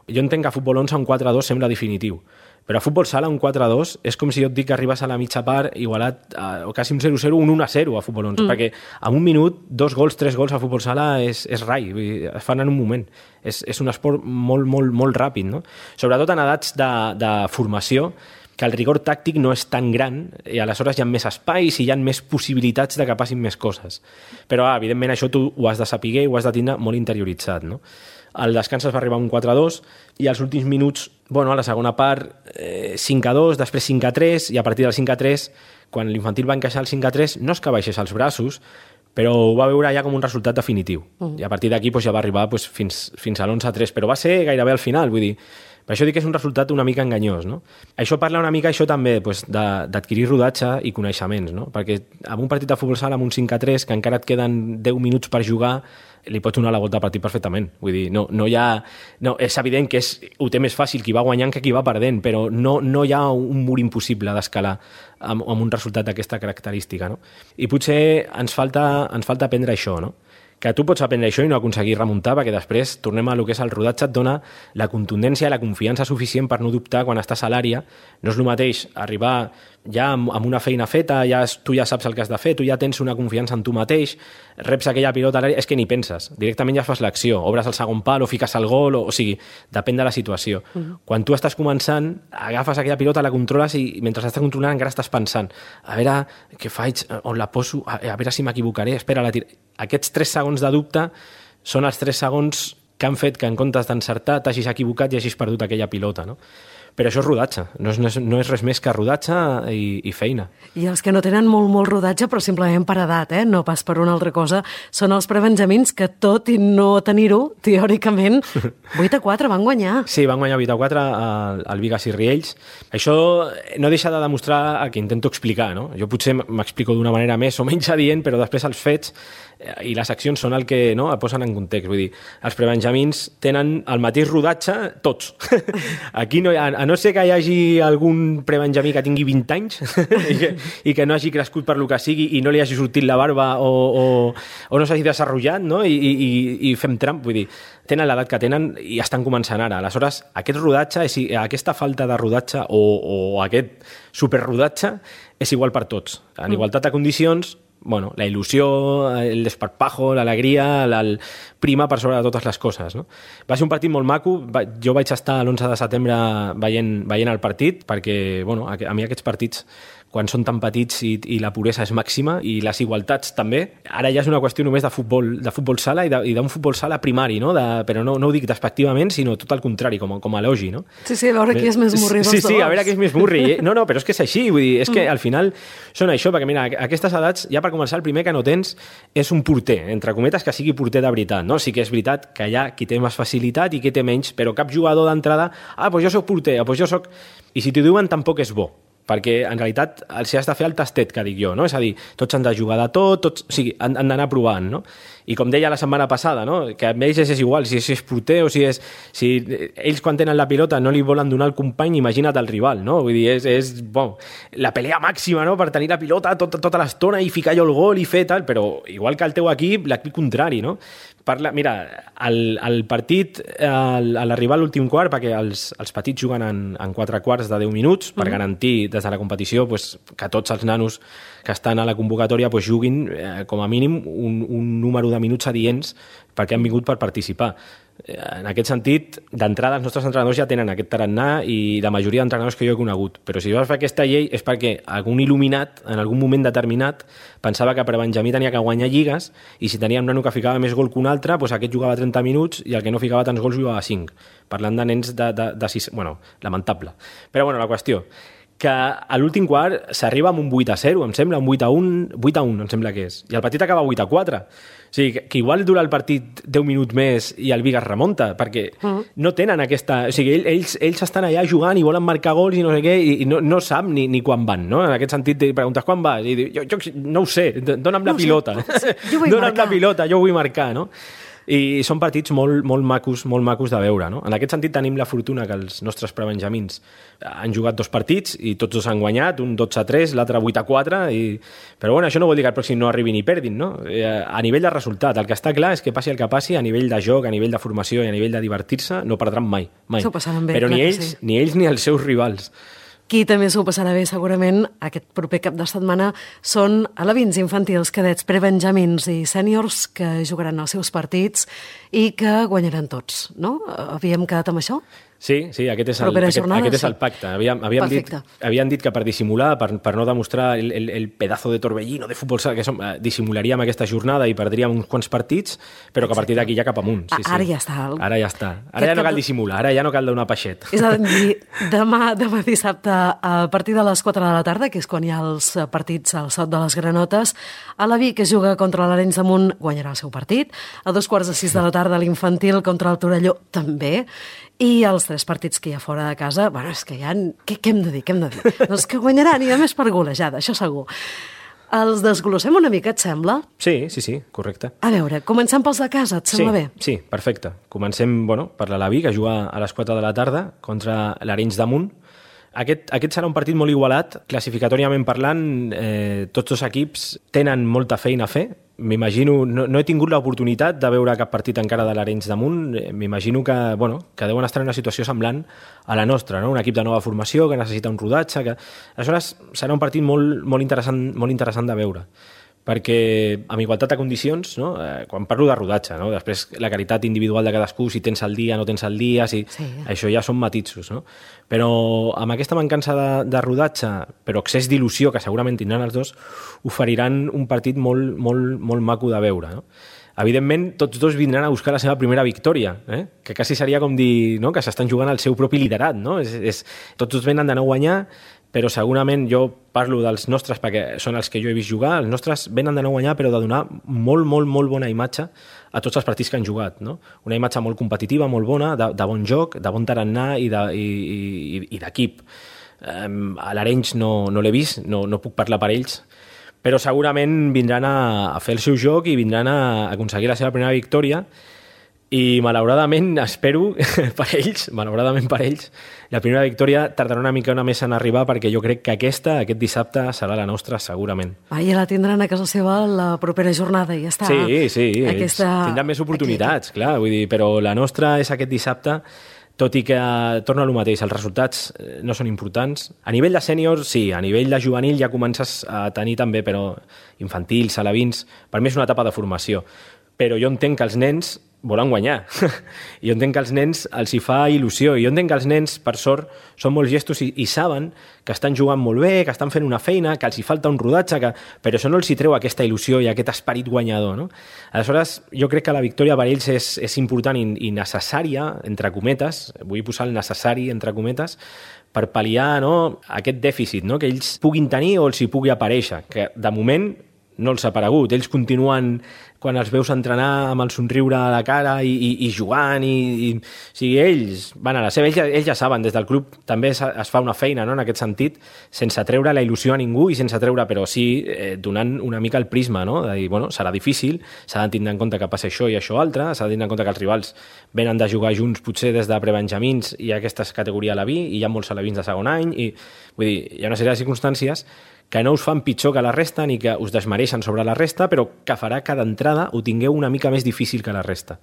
jo entenc que a futbol onze un quatre a dos sembla definitiu. Però a futbol sala un quatre a dos és com si jo et dic que arribes a la mitja part igualat a, o quasi un zero a zero, un un a zero a futbol onze, mm. perquè en un minut, dos gols, tres gols a futbol sala és, és rai, vull dir, es fan en un moment. És, és un esport molt, molt, molt ràpid, no? Sobretot en edats de, de formació, que el rigor tàctic no és tan gran i aleshores hi ha més espais i hi ha més possibilitats de que passin més coses. Però, ah, evidentment, això tu ho has de saber i ho has de tindre molt interioritzat, no? Al descans es va arribar a un quatre a dos i als últims minuts, bueno, a la segona part, eh, cinc a dos, després cinc a tres, i a partir del cinc a tres, quan l'infantil va encaixar el cinc a tres, no és que baixés els braços, però ho va veure ja com un resultat definitiu. Uh-huh. I a partir d'aquí doncs, ja va arribar doncs, fins, fins a l'onze a tres, però va ser gairebé al final, vull dir, per això dic que és un resultat una mica enganyós, no? Això parla una mica, això també, doncs, d'adquirir rodatge i coneixements, no? Perquè en un partit de futbol sala amb un cinc a tres, que encara et queden deu minuts per jugar, li pots donar la volta al partit perfectament. Vull dir, no, no hi ha... No, és evident que és, ho té més fàcil qui va guanyant que qui va perdent, però no, no hi ha un mur impossible d'escalar amb, amb un resultat d'aquesta característica, no? I potser ens falta, ens falta aprendre això, no? Que tu pots aprendre això i no aconseguir remuntar, perquè després tornem a lo que és el rodatge, et dona la contundència i la confiança suficient per no dubtar quan estàs a l'àrea. No és el mateix arribar ja amb, amb una feina feta, ja, tu ja saps el que has de fer, tu ja tens una confiança en tu mateix, reps aquella pilota a l'àrea, és que ni penses, directament ja fas l'acció, obres el segon pal o fiques el gol, o, o sigui, depèn de la situació. Uh-huh. Quan tu estàs començant, agafes aquella pilota, la controles i mentre estàs controlant encara estàs pensant, a veure què faig, on la poso, a, a veure si m'equivocaré, espera, la tira... Aquests tres segons de dubte són els tres segons que han fet que en comptes d'encertar t'hagis equivocat i hagis perdut aquella pilota, no? Però això és rodatge, no és, no és res més que rodatge i, i feina. I els que no tenen molt, molt rodatge, però simplement per edat, eh? no pas per una altra cosa, són els prebenjamins que, tot i no tenir-ho, teòricament, vuit a quatre van guanyar. Sí, van guanyar vuit a quatre al, al Vigas i Riells. Això no deixa de demostrar el que intento explicar, no? Jo potser m'explico d'una manera més o menys adient, però després els fets i les accions són el que no, el posen en context. Vull dir, els prebenjamins tenen el mateix rodatge tots. Aquí no hi ha, a no ser que hi hagi algun prebenjamí que tingui vint anys i, que, i que no hagi crescut per lo que sigui i no li hagi sortit la barba o, o, o no s'hagi desenvolupat, no? I, i, i fem tramp, vull dir, tenen l'edat que tenen i estan començant ara. Aleshores, aquest rodatge, és, aquesta falta de rodatge o, o aquest superrodatge és igual per tots. En igualtat de condicions, bueno, la il·lusió, el desparpajo, l'alegria, el prima per sobre de totes les coses, no? Va ser un partit molt maco. Jo vaig estar l'onze de setembre veient, veient el partit perquè, bueno, a, a mi aquests partits, quan són tan petits i, i la puresa és màxima i les igualtats també, ara ja és una qüestió només de futbol, de futbol sala i d'un futbol sala primari, no? De, però no, no ho dic despectivament, sinó tot el contrari, com, com a elogi, no? Sí, sí, a veure qui és més murri dels sí, dos. Sí, sí, a veure qui és més murri. No, no, però és que és així, vull dir, és que al final són això, perquè mira, a aquestes edats, ja per començar, el primer que no tens és un porter, entre cometes, que sigui porter de veritat, no? Sí que és veritat que hi ha qui té més facilitat i qui té menys, però cap jugador d'entrada, ah, doncs jo soc porter, doncs jo soc... I si t'ho diuen, tampoc és bo, perquè en realitat els has de fer el tastet, que dic jo, no? És a dir, tots han de jugar de tot, tots, o sigui, han, han d'anar provant, no? I com deia la setmana passada, no? Que a ells és igual, si és porter o si és... Si ells quan tenen la pilota no li volen donar al company, imagina't el rival, no? Vull dir, és, és bon, la pelea màxima, no? Per tenir la pilota tota, tota l'estona i ficar jo el gol i fer tal, però igual que el teu equip, l'equip contrari, no? Parla, mira, el, el partit, el, a l'arribar a l'últim quart, perquè els, els petits juguen en, en quatre quarts de deu minuts, per mm. garantir des de la competició pues, que tots els nanos que estan a la convocatòria pues, juguin eh, com a mínim un, un número de minuts adients perquè han vingut per participar. En aquest sentit, d'entrada els nostres entrenadors ja tenen aquest tarannà i la majoria d'entrenadors que jo he conegut. Però si vas fer aquesta llei és perquè algun il·luminat, en algun moment determinat, pensava que per Benjamí tenia que guanyar lligues i si tenia un nano que ficava més gol que un altre, doncs aquest jugava trenta minuts i el que no ficava tants gols jugava cinc. Parlant de nens de, de, de sis... Bueno, lamentable. Però bueno, la qüestió que a l'últim quart s'arriba amb un vuit a zero, em sembla, un vuit a un, vuit a un, em sembla que és. I el partit acaba vuit a quatre. O sigui, que, que igual dura el partit deu minuts més i el Vigas remunta, perquè uh-huh. no tenen aquesta... O sigui, ells, ells estan allà jugant i volen marcar gols i no sé què, i, i no, no sap ni, ni quan van, no? En aquest sentit, preguntes quan vas? I diu, jo, jo no ho sé, dona'm la no pilota. Sé. Jo vull dona'm marcar. la pilota, jo vull marcar, no? I són partits molt, molt macos, molt macos de veure, no? En aquest sentit tenim la fortuna que els nostres prebenjamins han jugat dos partits i tots dos han guanyat, un dotze a tres, l'altre vuit a quatre, i... però bueno, això no vol dir que el pròxim no arribi ni perdin, no? A nivell de resultat, el que està clar és que passi el que passi, a nivell de joc, a nivell de formació i a nivell de divertir-se, no perdran mai, mai. Bé, però ni ells, sí. ni ells ni els seus rivals. Qui també s'ho passarà bé, segurament, aquest proper cap de setmana són alevins, infantils, cadets, prebenjamins i sèniors que jugaran els seus partits i que guanyaran tots, no? Havíem quedat amb això? Sí, sí, aquest és el, aquest, jornada, aquest és el pacte. Havíem, havíem, dit, havíem dit que per dissimular, per, per no demostrar el, el, el pedazo de torbellino de futbol sala que som, eh, dissimularíem aquesta jornada i perdríem uns quants partits, però que a partir d'aquí ja cap amunt. Sí, ara sí. ja està. El... Ara ja està. Ara ja no cal dissimular, ara ja no cal donar peixet. És a dir, demà, demà dissabte, a partir de les quatre de la tarda, que és quan hi ha els partits al Sot de les Granotes, a la Vic, que juga contra l'Arenys de Munt, guanyarà el seu partit. A dos quarts de sis de la tarda, l'infantil contra el Torelló, també. I els tres partits que hi ha fora de casa, bueno, és que ja... Què, què hem de dir, què hem de dir? Doncs que guanyaran, i a més per golejada, això segur. Els desglossem una mica, et sembla? Sí, sí, sí, correcte. A veure, comencem pels de casa, et sembla sí, bé? Sí, perfecte. Comencem, bueno, per l'Alaví, que juga a les quatre de la tarda contra l'Arenys de Munt. Aquest, aquest serà un partit molt igualat. Classificatòriament parlant, eh, tots dos equips tenen molta feina a fer. M'imagino, no, no he tingut l'oportunitat de veure cap partit encara de l'Arenys de Munt. M'imagino que, bueno, que deuen estar en una situació semblant a la nostra, no? Un equip de nova formació que necessita un rodatge. Que... Aleshores, serà un partit molt, molt, interessant, molt interessant de veure. Perquè amb igualtat de condicions, no? eh, quan parlo de rodatge, no? Després la qualitat individual de cadascú, si tens el dia, no tens el dia, si... sí. Això ja són matisos, no? Però amb aquesta mancança de, de rodatge, però excés d'il·lusió que segurament tindran els dos, oferiran un partit molt, molt, molt maco de veure, no? evidentment, tots dos vindran a buscar la seva primera victòria, eh? que quasi seria com dir, no?, que s'estan jugant el seu propi liderat. No? És, és, tots dos venen d'anar a guanyar, però segurament jo parlo dels nostres perquè són els que jo he vist jugar, els nostres venen d'anar a guanyar però de donar molt, molt, molt bona imatge a tots els partits que han jugat. No? Una imatge molt competitiva, molt bona, de, de bon joc, de bon tarannà i d'equip. Um, a l'Arenys no, no l'he vist, no, no puc parlar per ells, però segurament vindran a, a fer el seu joc i vindran a aconseguir la seva primera victòria. I malauradament, espero, per ells, malauradament per ells, la primera victòria tardarà una mica una més en arribar perquè jo crec que aquesta, aquest dissabte, serà la nostra, segurament. Ah, i la tindran a casa seva la propera jornada i ja està. Sí, sí, aquesta... tindran més oportunitats, aquí. Clar, vull dir, però la nostra és aquest dissabte, tot i que torna a lo mateix, els resultats no són importants. A nivell de sèniors, sí, a nivell de juvenil ja comences a tenir també, però infantils, alevins, per mi és una etapa de formació. Però jo entenc que els nens volen guanyar. I jo entenc que als nens els hi fa il·lusió. I jo entenc que els nens, per sort, són molt gestos i, i saben que estan jugant molt bé, que estan fent una feina, que els hi falta un rodatge, que... però això no els hi treu aquesta il·lusió i aquest esperit guanyador. No? Aleshores, jo crec que la victòria per ells és, és important i, i necessària, entre cometes, vull posar el necessari, entre cometes, per pal·liar, no?, aquest dèficit, no?, que ells puguin tenir o els hi pugui aparèixer, que de moment no els ha aparegut. Ells continuen, quan els veus entrenar amb el somriure a la cara i, i, i jugant, i, i, o sigui, ells van a la seva, ells ja, ells ja saben, des del club també es, es fa una feina, no?, en aquest sentit, sense treure la il·lusió a ningú i sense treure, però sí eh, donant una mica el prisma, no?, de dir, bueno, serà difícil, s'ha de tindre en compte que passa això i això altre, s'ha de tindre en compte que els rivals venen de jugar junts potser des de prebenjamins i aquesta és categoria a la B i hi ha molts alevins de segon any i, vull dir, hi ha una sèrie de circumstàncies que no us fan pitjor que la resta ni que us desmereixen sobre la resta, però que farà que d'entrada ho tingueu una mica més difícil que la resta.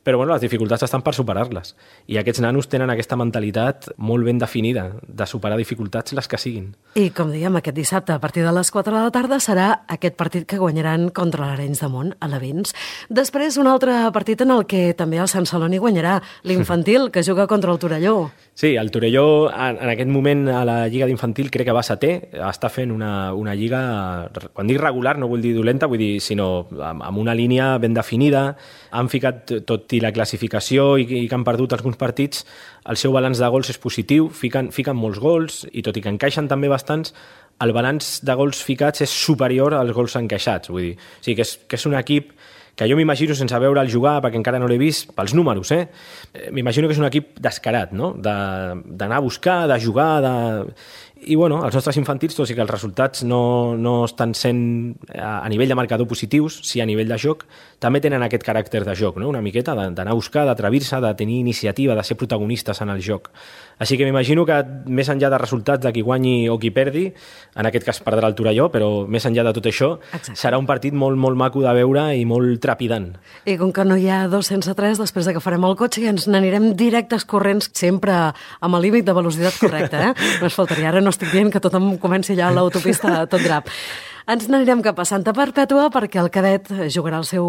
Però bueno, les dificultats estan per superar-les. I aquests nanos tenen aquesta mentalitat molt ben definida de superar dificultats les que siguin. I com dèiem, aquest dissabte a partir de les quatre de la tarda serà aquest partit que guanyaran contra l'Arenys de Munt a l'Avins. Després un altre partit en el que també el Sant Celoni guanyarà, l'infantil, que juga contra el Torelló. Sí, el Torelló en, en aquest moment a la Lliga d'Infantil crec que va setè, està fent una, una lliga, quan dic regular no vull dir dolenta, vull dir sinó amb, amb una línia ben definida, han ficat tot i la classificació i, i que han perdut alguns partits, el seu balanç de gols és positiu, fiquen, fiquen molts gols i tot i que encaixen també bastants, el balanç de gols ficats és superior als gols encaixats, vull dir, o sigui que és, que és un equip que jo m'imagino sense veure'l jugar, perquè encara no l'he vist, pels números, eh? M'imagino que és un equip descarat, no?, d'anar a buscar, de jugar, de... I, bueno, els nostres infantils, tot i que els resultats no, no estan sent a, a nivell de marcador positius, sí a nivell de joc, també tenen aquest caràcter de joc, no?, una miqueta d'anar a buscar, d'atrevir-se, de tenir iniciativa, de ser protagonistes en el joc. Així que m'imagino que més enllà de resultats de qui guanyi o qui perdi, en aquest cas perdrà el Torelló, però més enllà de tot això, exacte, serà un partit molt, molt maco de veure i molt trepidant. I com que no hi ha dos sense tres, després de que farem el cotxe i ens n'anirem directes corrents, sempre amb el límit de velocitat correcte, eh? No es faltaria, ara no estic dient que tothom comenci ja a l'autopista tot drap. Ens n'anirem cap a Santa Perpètua perquè el cadet jugarà el seu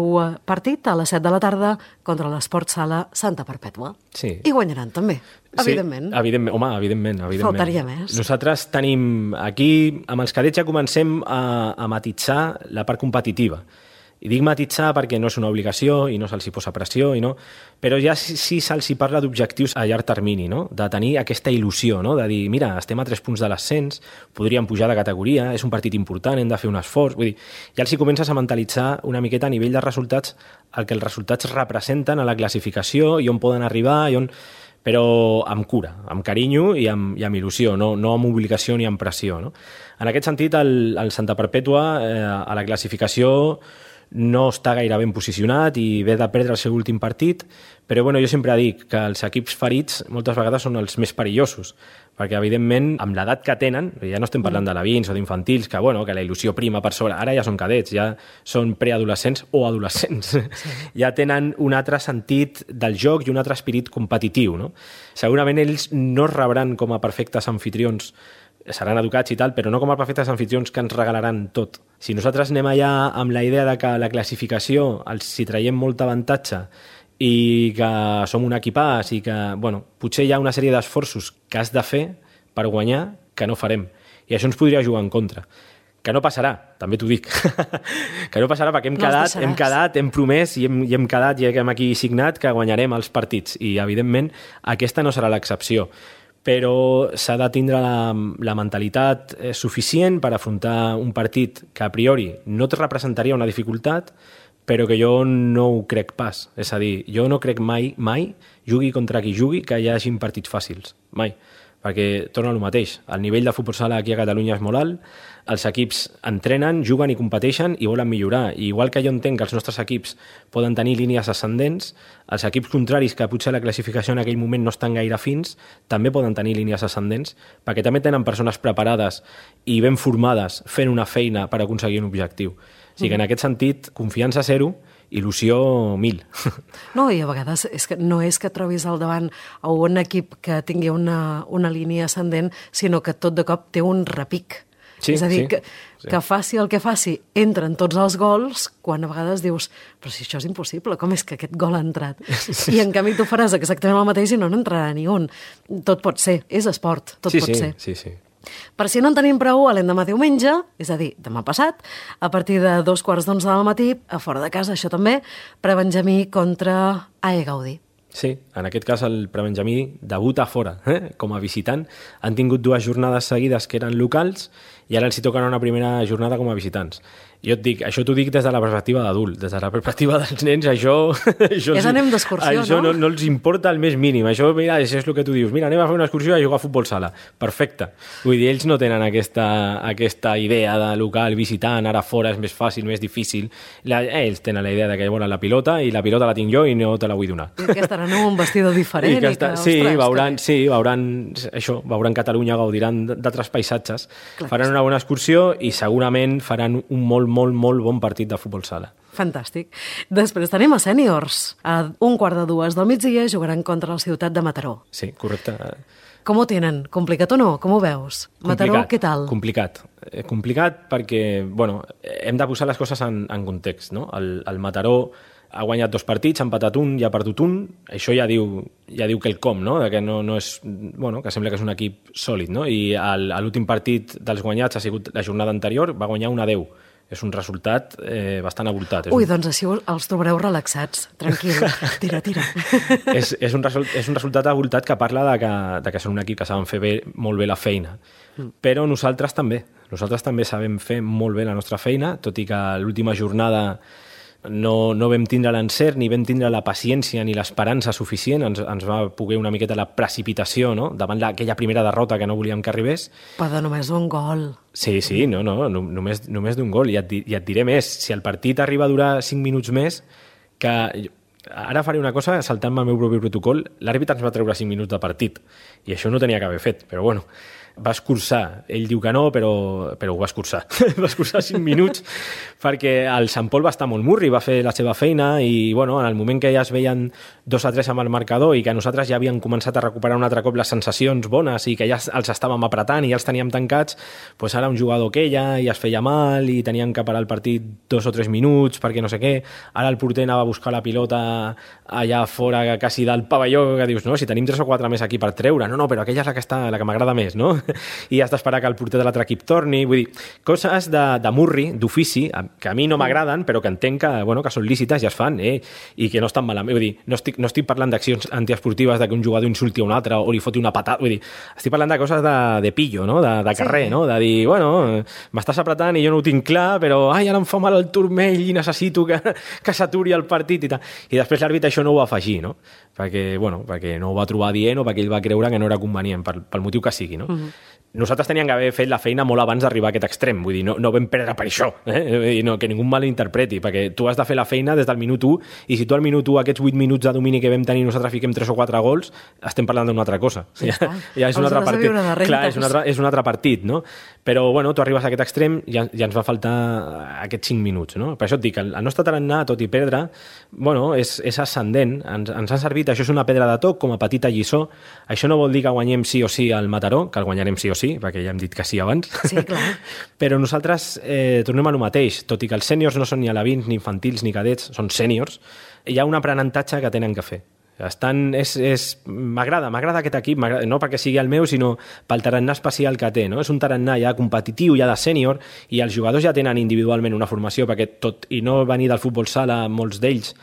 partit a les set de la tarda contra l'Esport Sala Santa Perpètua. Sí. I guanyaran també, evidentment. Sí, evidentment. Home, evidentment, evidentment. Faltaria més. Nosaltres tenim aquí, amb els cadets ja comencem a, a matitzar la part competitiva. I dic matitzar perquè no és una obligació i no se'ls hi posa pressió, i no, però ja sí, sí se'ls hi parla d'objectius a llarg termini, no? De tenir aquesta il·lusió, no? De dir, mira, estem a tres punts de l'ascens, podríem pujar de categoria, és un partit important, hem de fer un esforç. Vull dir, ja els hi comences a mentalitzar una miqueta a nivell de resultats el que els resultats representen a la classificació i on poden arribar, i on... però amb cura, amb carinyo i amb, i amb il·lusió, no, no amb obligació ni amb pressió. No? En aquest sentit, el, el Santa Perpètua eh, a la classificació no està gaire ben posicionat i ve de perdre el seu últim partit, però bueno, jo sempre dic que els equips ferits moltes vegades són els més perillosos, perquè evidentment amb l'edat que tenen, ja no estem parlant d'alevins o d'infantils, que, bueno, que la il·lusió prima per sobre, ara ja són cadets, ja són preadolescents o adolescents, sí. Ja tenen un altre sentit del joc i un altre espirit competitiu. No? Segurament ells no es rebran com a perfectes anfitrions, seran educats i tal, però no com a perfectes anfitrions que ens regalaran tot. Si nosaltres anem allà amb la idea de que la classificació els hi traiem molt avantatge i que som un equipàs i que, bueno, potser hi ha una sèrie d'esforços que has de fer per guanyar que no farem. I això ens podria jugar en contra. que no passarà, també t'ho dic, que no passarà perquè hem No quedat, els deixaràs. hem quedat, hem promès i hem, i hem quedat, i hem aquí signat que guanyarem els partits i, evidentment, aquesta no serà l'excepció. Però s'ha de tindre la, la mentalitat eh, suficient per afrontar un partit que a priori no et representaria una dificultat, però que jo no ho crec pas. És a dir, jo no crec mai, mai, jugui contra qui jugui, que hi hagi partits fàcils. Mai. Perquè torna al mateix. El nivell de futbol sala aquí a Catalunya és molt alt, els equips entrenen, juguen i competeixen i volen millorar. I igual que jo entenc que els nostres equips poden tenir línies ascendents, els equips contraris, que potser la classificació en aquell moment no estan gaire fins, també poden tenir línies ascendents, perquè també tenen persones preparades i ben formades fent una feina per aconseguir un objectiu. O sigui que en aquest sentit, confiança zero, il·lusió mil. No, i a vegades és que no és que trobis al davant a un equip que tingui una, una línia ascendent, sinó que tot de cop té un repic. Sí, és a dir, sí, que, sí. que faci el que faci, entren tots els gols, quan a vegades dius, però si això és impossible, com és que aquest gol ha entrat? Sí. I en canvi tu faràs exactament el mateix i no n'entrarà ni un. Tot pot ser, és esport, tot sí, pot sí, ser. Sí, sí. Per si no en tenim prou, l'endemà diumenge, és a dir, demà passat, a partir de dos quarts d'onze del matí, a fora de casa, això també, prebenjamí contra A E Gaudí. Sí, en aquest cas el prebenjamí debuta fora, eh? Com a visitant. Han tingut dues jornades seguides que eren locals i ara els hi tocarà una primera jornada com a visitants. Jo et dic, això t'ho dic des de la perspectiva d'adult, des de la perspectiva dels nens, això... això és anem d'excursió, no? Això no, no els importa el més mínim, això, mira, això és el que tu dius, mira, anem a fer una excursió a jugar a futbol sala, perfecte. Vull dir, ells no tenen aquesta, aquesta idea de local, visitant, ara fora és més fàcil, més difícil. La, ells tenen la idea de que volen la pilota i la pilota la tinc jo i no te la vull donar. I que estaran en un vestidor diferent. I que està, i que, sí, ostres, veuran, que... sí, veuran això, veuran Catalunya, gaudiran d'altres paisatges, Clar, faran una bona excursió i segurament faran un molt, molt, molt bon partit de futbol sala. Fantàstic. Després tenim a sèniors. A un quart de dues del migdia jugaran contra la ciutat de Mataró. Sí, correcte. Com ho tenen? Complicat o no? Com ho veus? Mataró, què tal? Complicat. Eh, complicat perquè, bueno, hem de posar les coses en, en context, no? El, el Mataró ha guanyat dos partits, ha empatat un i ha perdut un. Això ja diu, ja diu quelcom, no? De que no, no és, bueno, que sembla que és un equip sòlid, no? I l'últim partit dels guanyats ha sigut la jornada anterior, va guanyar un a deu. És un resultat eh, bastant avoltat. És Ui, un... doncs així els trobareu relaxats. Tranquil, tira, tira. és, és, un result, és un resultat avoltat que parla de que, de que són un equip que saben fer bé, molt bé la feina. Mm. Però nosaltres també. Nosaltres també sabem fer molt bé la nostra feina, tot i que l'última jornada no, no vam tindre l'encert, ni vam tindre la paciència ni l'esperança suficient. Ens, ens va poder una miqueta la precipitació, no? Davant aquella primera derrota que no volíem que arribés. Però de només un gol. Sí, sí, no, no, no només, només d'un gol. I et, I et diré més, si el partit arriba a durar cinc minuts més, que ara faré una cosa, saltant-me el meu propi protocol, l'àrbitre ens va treure cinc minuts de partit, i això no tenia que haver fet, però bueno, va escurçar. Ell diu que no, però, però ho va escurçar. va escurçar cinc minuts perquè el Sant Pol va estar molt murri, va fer la seva feina i, bueno, en el moment que ja es veien dos a tres amb el marcador i que nosaltres ja havíem començat a recuperar un altre cop les sensacions bones i que ja els estàvem apretant i ja els teníem tancats, doncs ara un jugador que ella i es feia mal i tenien que parar el partit dos o tres minuts perquè no sé què. Ara el porter anava a buscar la pilota allà fora, quasi del pavelló, que dius, no, si tenim tres o quatre més aquí per treure, no, no, però aquella és la que, està, la que m'agrada més, no? I has d'esperar que el porter de l'altre equip torni. Vull dir, coses de, de murri, d'ofici, que a mi no m'agraden, però que entenc que, bueno, que són lícites i es fan, eh? I que no estan malament. Vull dir, no estic, no estic parlant d'accions antiesportives de que un jugador insulti a un altre o li foti una patada. Vull dir, estic parlant de coses de, de pillo, no? De, de carrer, sí. No? De dir, bueno, m'estàs apretant i jo no ho tinc clar, però ai, ara em fa mal el turmell i necessito que, que s'aturi el partit i tal. I després l'àrbitre això no ho va afegir, no? Perquè, bueno, perquè no ho va trobar dient o perquè ell va creure que no era convenient, pel, pel motiu que sigui, no? Uh-huh. Nosaltres teníem que haver fet la feina molt abans d'arribar a aquest extrem, vull dir, no, no vam perdre per això, eh? I no, que ningú malinterpreti, perquè tu has de fer la feina des del minut u, i si tu al minut u, aquests vuit minuts de domini que vam tenir nosaltres fiquem tres o quatre gols, estem parlant d'una altra cosa. Ja, ja, ja és un altre partit. Clar, és un altre, és un altre partit, no? Però, bueno, tu arribes a aquest extrem i ja, ja ens va faltar aquests cinc minuts, no? Per això et dic, el, el nostre tarannà, tot i perdre, bueno, és, és ascendent, ens, ens ha servit, això és una pedra de toc, com a petita lliçó. Això no vol dir que guanyem sí o sí al Mataró, que el guanyarem sí o sí, perquè ja hem dit que sí abans. Sí, clar. Però nosaltres eh, tornem a lo mateix, tot i que els sèniors no són ni alevins, ni infantils, ni cadets, són sèniors, hi ha un aprenentatge que tenen que fer. Estan, és, és, m'agrada, m'agrada aquest equip, m'agrada, no perquè sigui el meu, sinó pel tarannà especial que té, no? És un tarannà ja competitiu, ja de sènior, i els jugadors ja tenen individualment una formació, perquè tot, i no venir del futbol sala, molts d'ells,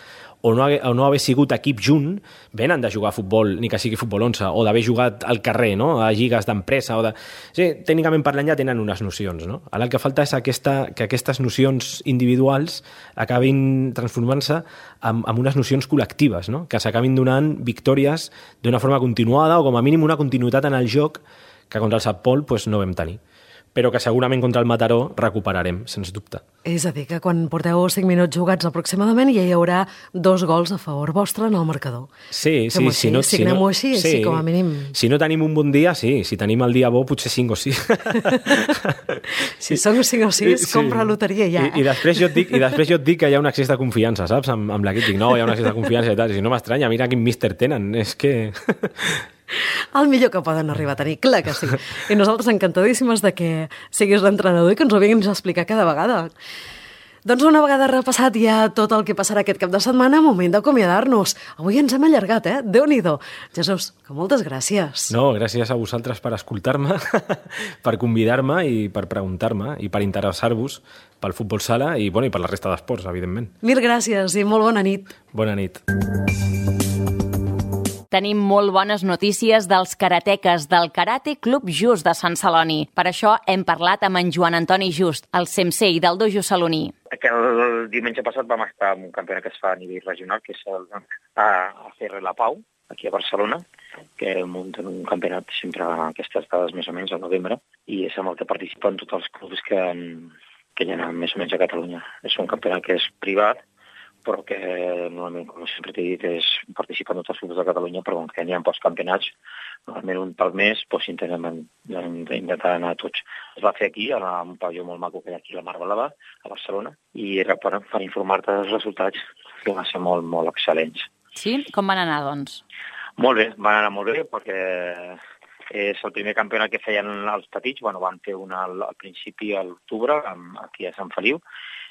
o no, o no haver sigut equip junt, venen de jugar a futbol, ni que sigui futbol onze, o d'haver jugat al carrer, no? A lligues d'empresa, o de... Sí, tècnicament parlant ja tenen unes nocions, no? Ara el que falta és aquesta, que aquestes nocions individuals acabin transformant-se en, en unes nocions col·lectives, no? Que s'acabin donant victòries d'una forma continuada, o com a mínim una continuïtat en el joc que contra el Sant Pol pues, no vam tenir, però que segurament contra el Mataró recuperarem, sens dubte. És a dir, que quan porteu cinc minuts jugats aproximadament ja hi haurà dos gols a favor vostre en el marcador. Sí, sí. Fem-ho Si no, si Signem-ho no, així, sí, sí, com a mínim. Si no tenim un bon dia, sí. Si tenim el dia bo, potser cinc o sis. Si són cinc o sis, sí. Compra loteria ja. I, i, després jo et dic, I després jo et dic que hi ha un excés de confiança, saps? Amb, amb l'equip dic, no, hi ha un excés de confiança i tal. Si no m'estranya, mira quin míster tenen. És que... El millor que poden arribar a tenir, clar que sí. I nosaltres encantadíssimes de que siguis l'entrenador i que ens ho vinguis a explicar cada vegada. Doncs una vegada repassat ja tot el que passarà aquest cap de setmana, moment d'acomiadar-nos. Avui ens hem allargat, eh? Déu-n'hi-do. Jesús, que moltes gràcies. No, gràcies a vosaltres per escoltar-me, per convidar-me i per preguntar-me i per interessar-vos pel futbol sala i, bueno, i per la resta d'esports, evidentment. Mil gràcies i molt bona nit. Bona nit. Tenim molt bones notícies dels karateques del Karate Club Just de Sant Celoni. Per això hem parlat amb en Joan Antoni Just, el sensei del dojo saloní. Que el diumenge passat vam estar en un campionat que es fa a nivell regional, que és el a C R La Pau, aquí a Barcelona, que munten un campionat sempre a aquestes dades més o menys al novembre, i és amb el que participen tots els clubs que, que hi ha més o menys a Catalunya. És un campionat que és privat, però que normalment, com sempre t'he dit, és participar en tots els clubs de Catalunya, però com que n'hi ha pocs campionats, normalment un pel mes, doncs intentem intentar anar a tots. Es va fer aquí, a un pavelló molt maco que hi ha aquí a la Mar Blava, a Barcelona, i era per, per informar-te dels resultats, que van ser molt, molt excel·lents. Sí? Com van anar, doncs? Molt bé, van anar molt bé, perquè és el primer campionat que feien els petits. Bueno, van fer un al, al principi, a l'octubre, aquí a Sant Feliu,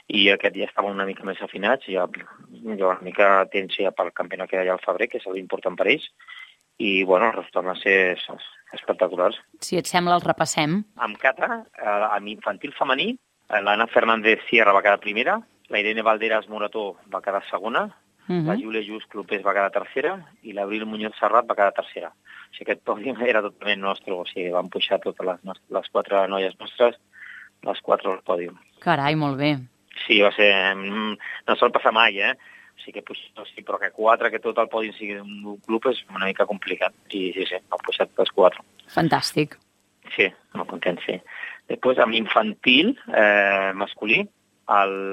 i aquest ja estaven una mica més afinats, ja, ja una mica temps ja pel campionat que hi ha al febrer, que és l'important per ells, i bueno, els resultats van ser espectaculars. Si et sembla, els repassem. Amb kata, amb infantil femení, l'Anna Fernández Sierra va quedar primera, la Irene Valderas Morató va quedar segona, uh-huh. La Júlia Just Clopés va quedar tercera i l'Abril Muñoz Serrat va quedar tercera. O sigui, aquest pòdium era totalment nostre, o sigui, van pujar totes les, les quatre noies nostres, les quatre al pòdium. Carai, molt bé. Sí, va ser... No sol passar mai, eh? O sigui que, sí, però que quatre, que tot el pòdium sigui un club és una mica complicat. I sí, sí, han pujat els quatre. Fantàstic. Sí, molt content, sí. Després, amb infantil, eh, masculí,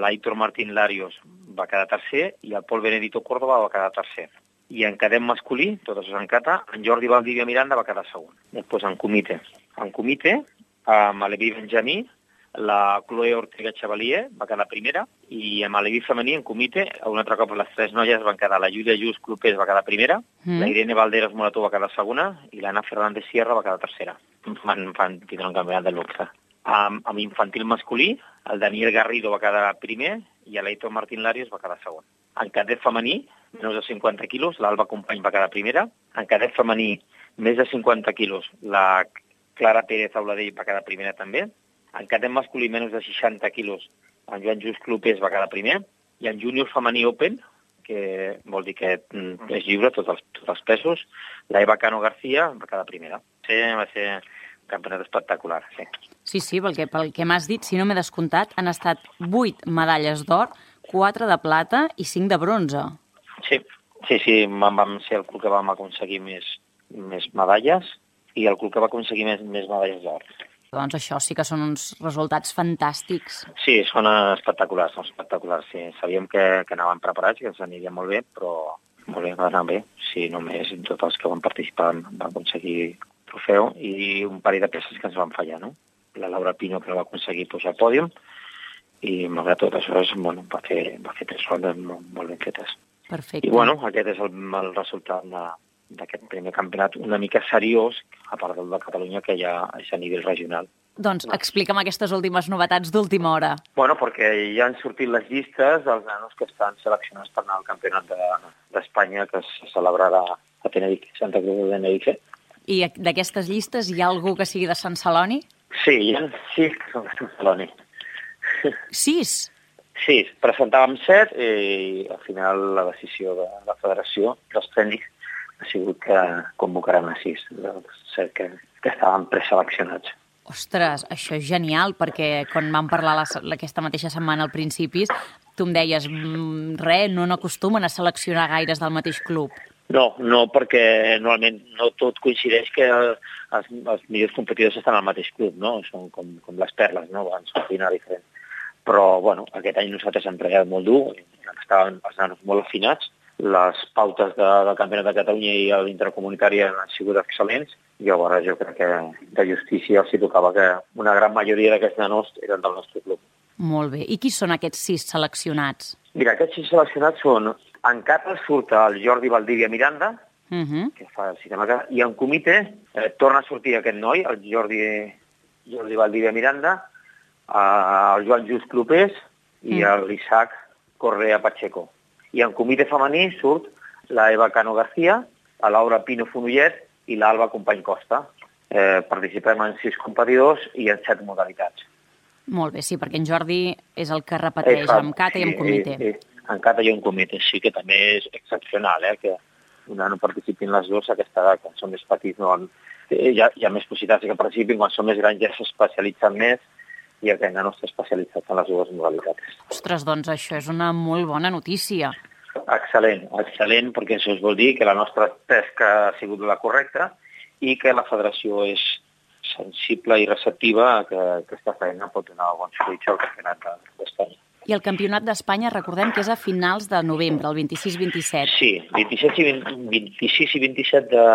l'Aitor Martín Larios va quedar tercer i el Pol Benedito Córdoba va quedar tercer. I en cadet masculí, tots en cata, en Jordi Valdivia Miranda va quedar segon. Després, en comitè. En comitè, amb l'Evi Benjamí, la Chloe Ortega Chevalier va quedar primera i amb l'Evi femení en comitè, un altre cop les tres noies van quedar, la Júlia Just Clopés va quedar primera, mm. la Irene Valderas Morató va quedar segona i l'Anna Fernández Sierra va quedar tercera. Van, van tindre un campionat de luxe. Amb, amb infantil masculí, el Daniel Garrido va quedar primer i l'Aitor Martín Larios va quedar segon. En cadet femení, menys de cinquanta quilos, l'Alba Company va quedar primera. En cadet femení, més de cinquanta quilos, la Clara Pérez Auladell va quedar primera també. En cadet masculí, menys de seixanta quilos, en Joan Just Clopés va quedar primer, i en júnior femení open, que vol dir que és lliure tots els, tots els pesos, la Eva Cano García va quedar primera. Sí, va ser un campionat espectacular, sí. Sí, sí, perquè pel que m'has dit, si no m'he descomptat, han estat vuit medalles d'or, quatre de plata i cinc de bronze. Sí, sí, sí, vam ser el club que vam aconseguir més, més medalles i el club que va aconseguir més, més medalles d'or. Doncs això sí que són uns resultats fantàstics. Sí, són espectaculars, són espectaculars, sí. Sabíem que, que anaven preparats, que ens aniria molt bé, però molt bé, va anar bé. Sí, només tots els que van participar van aconseguir trofeu i un parell de peces que ens van fallar, no? La Laura Pino, que va aconseguir pujar al pòdium, i malgrat tot això, és, bueno, va fer, va fer tres rondes molt, molt ben fetes. Perfecte. I bueno, aquest és el, el resultat de... d'aquest primer campionat una mica seriós, a part del de Catalunya, que ja és a nivell regional. Doncs explica'm aquestes últimes novetats d'última hora. Bueno, perquè ja han sortit les llistes dels nanos que estan seleccionats per anar al Campionat d'Espanya, que se celebrarà a Tenerife, Santa Cruz de Tenerife. I d'aquestes llistes hi ha algú que sigui de Sant Celoni? Sí, hi ha sis que són de Sant Celoni. Sis? Sis. Presentàvem set i al final la decisió de la federació, dels tècnics, ha sigut que convocaran a sis, dels set que, que estaven preseleccionats. Ostres, això és genial, perquè quan vam parlar la, aquesta mateixa setmana al principis, tu em deies, mmm, res, no n'acostumen a seleccionar gaires del mateix club. No, no, perquè normalment no tot coincideix que els, els millors competidors estan al mateix club, no? Són com, com les perles, no? Van sortint a diferent. Però, bueno, aquest any nosaltres hem treballat molt dur, estaven els nanos molt afinats, les pautes de, del Campionat de Catalunya i l'intercomunitari han sigut excel·lents, i llavors jo crec que de justícia els hi tocava que una gran majoria d'aquests nanos eren del nostre club. Molt bé. I qui són aquests sis seleccionats? Mira, aquests sis seleccionats són... En Cata surt el Jordi Valdivia Miranda, uh-huh. que fa el sistema Cata, i en comitè eh, torna a sortir aquest noi, el Jordi, Jordi Valdivia Miranda, eh, el Joan Just Clopés i uh-huh. l'Isaac Correa Pacheco. I en comitè femení surt la Eva Cano García, la Laura Pino Fonollet i l'Alba Company Costa. Eh, participem en sis competidors i en set modalitats. Molt bé, sí, perquè en Jordi és el que repeteix eh, amb Cata sí, i amb comitè. Eh, eh, en Cata i en comitè, sí, que també és excepcional, eh, que una no participin les dues a aquesta edat, quan són més petits no han, eh, hi, ha, hi ha més possibilitats que participin, quan són més grans ja s'especialitzen més i aquest no està especialitzat en les dues modalitats. Ostres, doncs això és una molt bona notícia. Excel·lent, excel·lent, perquè això vol dir que la nostra pesca ha sigut la correcta i que la federació és sensible i receptiva a que aquesta feina pot donar bons fruits al Campionat d'Espanya. I el Campionat d'Espanya, recordem que és a finals de novembre, el vint-i-sis vint-i-set. Sí, vint-i-set i vint, vint-i-sis i vint-i-set de,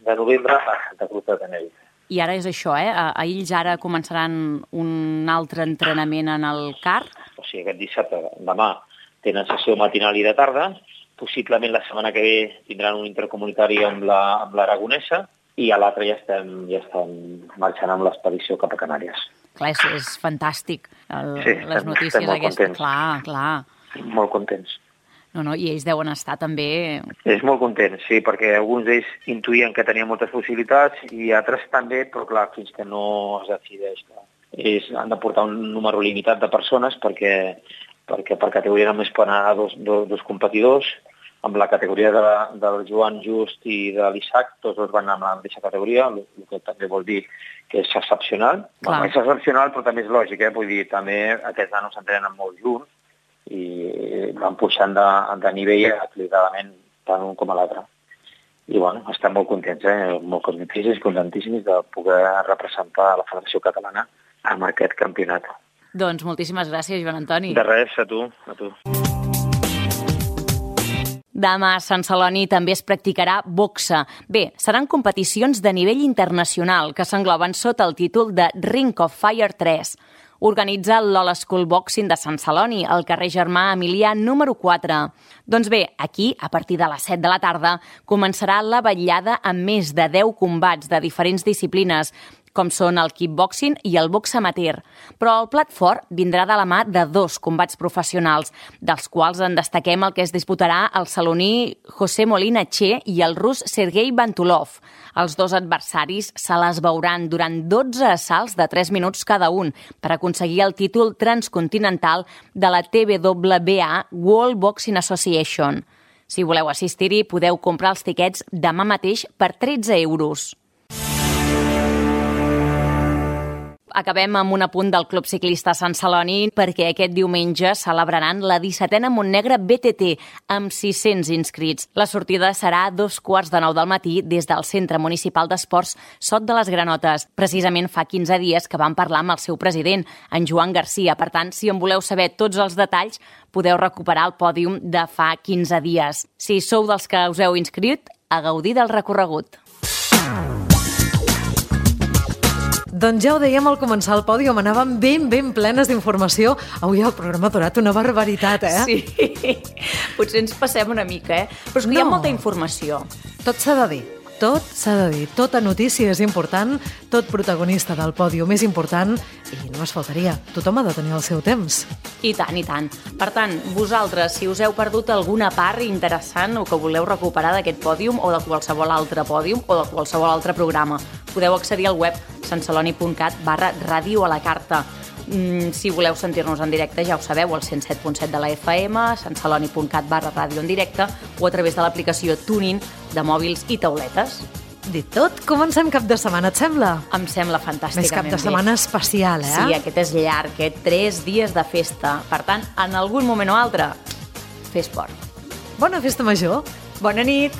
de novembre a Santa Cruz de Tenerife. I ara és això, eh? A ells ara començaran un altre entrenament en el C A R? O sigui, aquest dissabte, demà, tenen sessió matinal i de tarda. Possiblement la setmana que ve tindran un intercomunitari amb l'Aragonesa la, i a l'altre ja estem, ja estem marxant amb l'expedició cap a Canàries. Clar, és, és fantàstic, el, sí, les estem, notícies estem aquestes. Clar, clar. Molt contents. No, no, i ells deuen estar també... És molt content, sí, perquè alguns d'ells intuïen que tenien moltes possibilitats i altres també, però clar, fins que no es decideix. És, han de portar un número limitat de persones perquè, perquè per categoria només poden anar dos, dos, dos competidors. Amb la categoria de, del Joan Just i de l'Isaac, tots dos van anar amb la mateixa categoria, el, el que també vol dir que és excepcional. Bueno, és excepcional, però també és lògic, eh? Vull dir, també aquests nanos s'entrenen molt junts i van pujant de, de nivell equilibradament tant un com a l'altre. I bueno, estem molt contents, eh? molt contentíssims, contentíssims de poder representar la Federació Catalana en aquest campionat. Doncs moltíssimes gràcies, Joan Antoni. De res, a tu, a tu. Demà a Sant Celoni també es practicarà boxa. Bé, seran competicions de nivell internacional que s'engloben sota el títol de Ring of Fire tres. Organitza l'Old School Boxing de Sant Celoni, al carrer Germà Emilià número quatre. Doncs bé, aquí, a partir de les set de la tarda, començarà la vetllada amb més de deu combats de diferents disciplines, com són el kickboxing i el box amateur. Però el plat fort vindrà de la mà de dos combats professionals, dels quals en destaquem el que es disputarà el saloní José Molina Che i el rus Sergei Bantulov. Els dos adversaris se les veuran durant dotze assalts de tres minuts cada un per aconseguir el títol transcontinental de la T W B A World Boxing Association. Si voleu assistir-hi, podeu comprar els tiquets demà mateix per tretze euros. Acabem amb un apunt del Club Ciclista Sant Celoni perquè aquest diumenge celebraran la dissetena Montnegre B T T amb sis-cents inscrits. La sortida serà a dos quarts de nou del matí des del Centre Municipal d'Esports Sot de les Granotes. Precisament fa quinze dies que vam parlar amb el seu president, en Joan Garcia. Per tant, si en voleu saber tots els detalls, podeu recuperar el pòdium de fa quinze dies. Si sou dels que us heu inscrit, a gaudir del recorregut. Doncs ja ho dèiem al començar el pòdium, anàvem ben, ben plenes d'informació. Avui el programa ha durat una barbaritat, eh? Sí, potser ens passem una mica, eh? Però és que no. Hi ha molta informació. Tot s'ha de dir. Tot s'ha de dir, tota notícia és important, tot protagonista del pòdium és important i no es faltaria, tothom ha de tenir el seu temps. I tant, i tant. Per tant, vosaltres, si us heu perdut alguna part interessant o que voleu recuperar d'aquest pòdium o de qualsevol altre pòdium o de qualsevol altre programa, podeu accedir al web santceloni.cat barra ràdio a la carta. Mm, si voleu sentir-nos en directe, ja ho sabeu, al cent set punt set de la F M, santceloni.cat barra ràdio en directe o a través de l'aplicació TuneIn de mòbils i tauletes. Dit tot, comencem cap de setmana, et sembla? Em sembla fantàsticament bé. Més cap de setmana especial, eh? Sí, aquest és llarg, aquest tres dies de festa. Per tant, en algun moment o altre, fer esport. Bona festa major. Bona nit.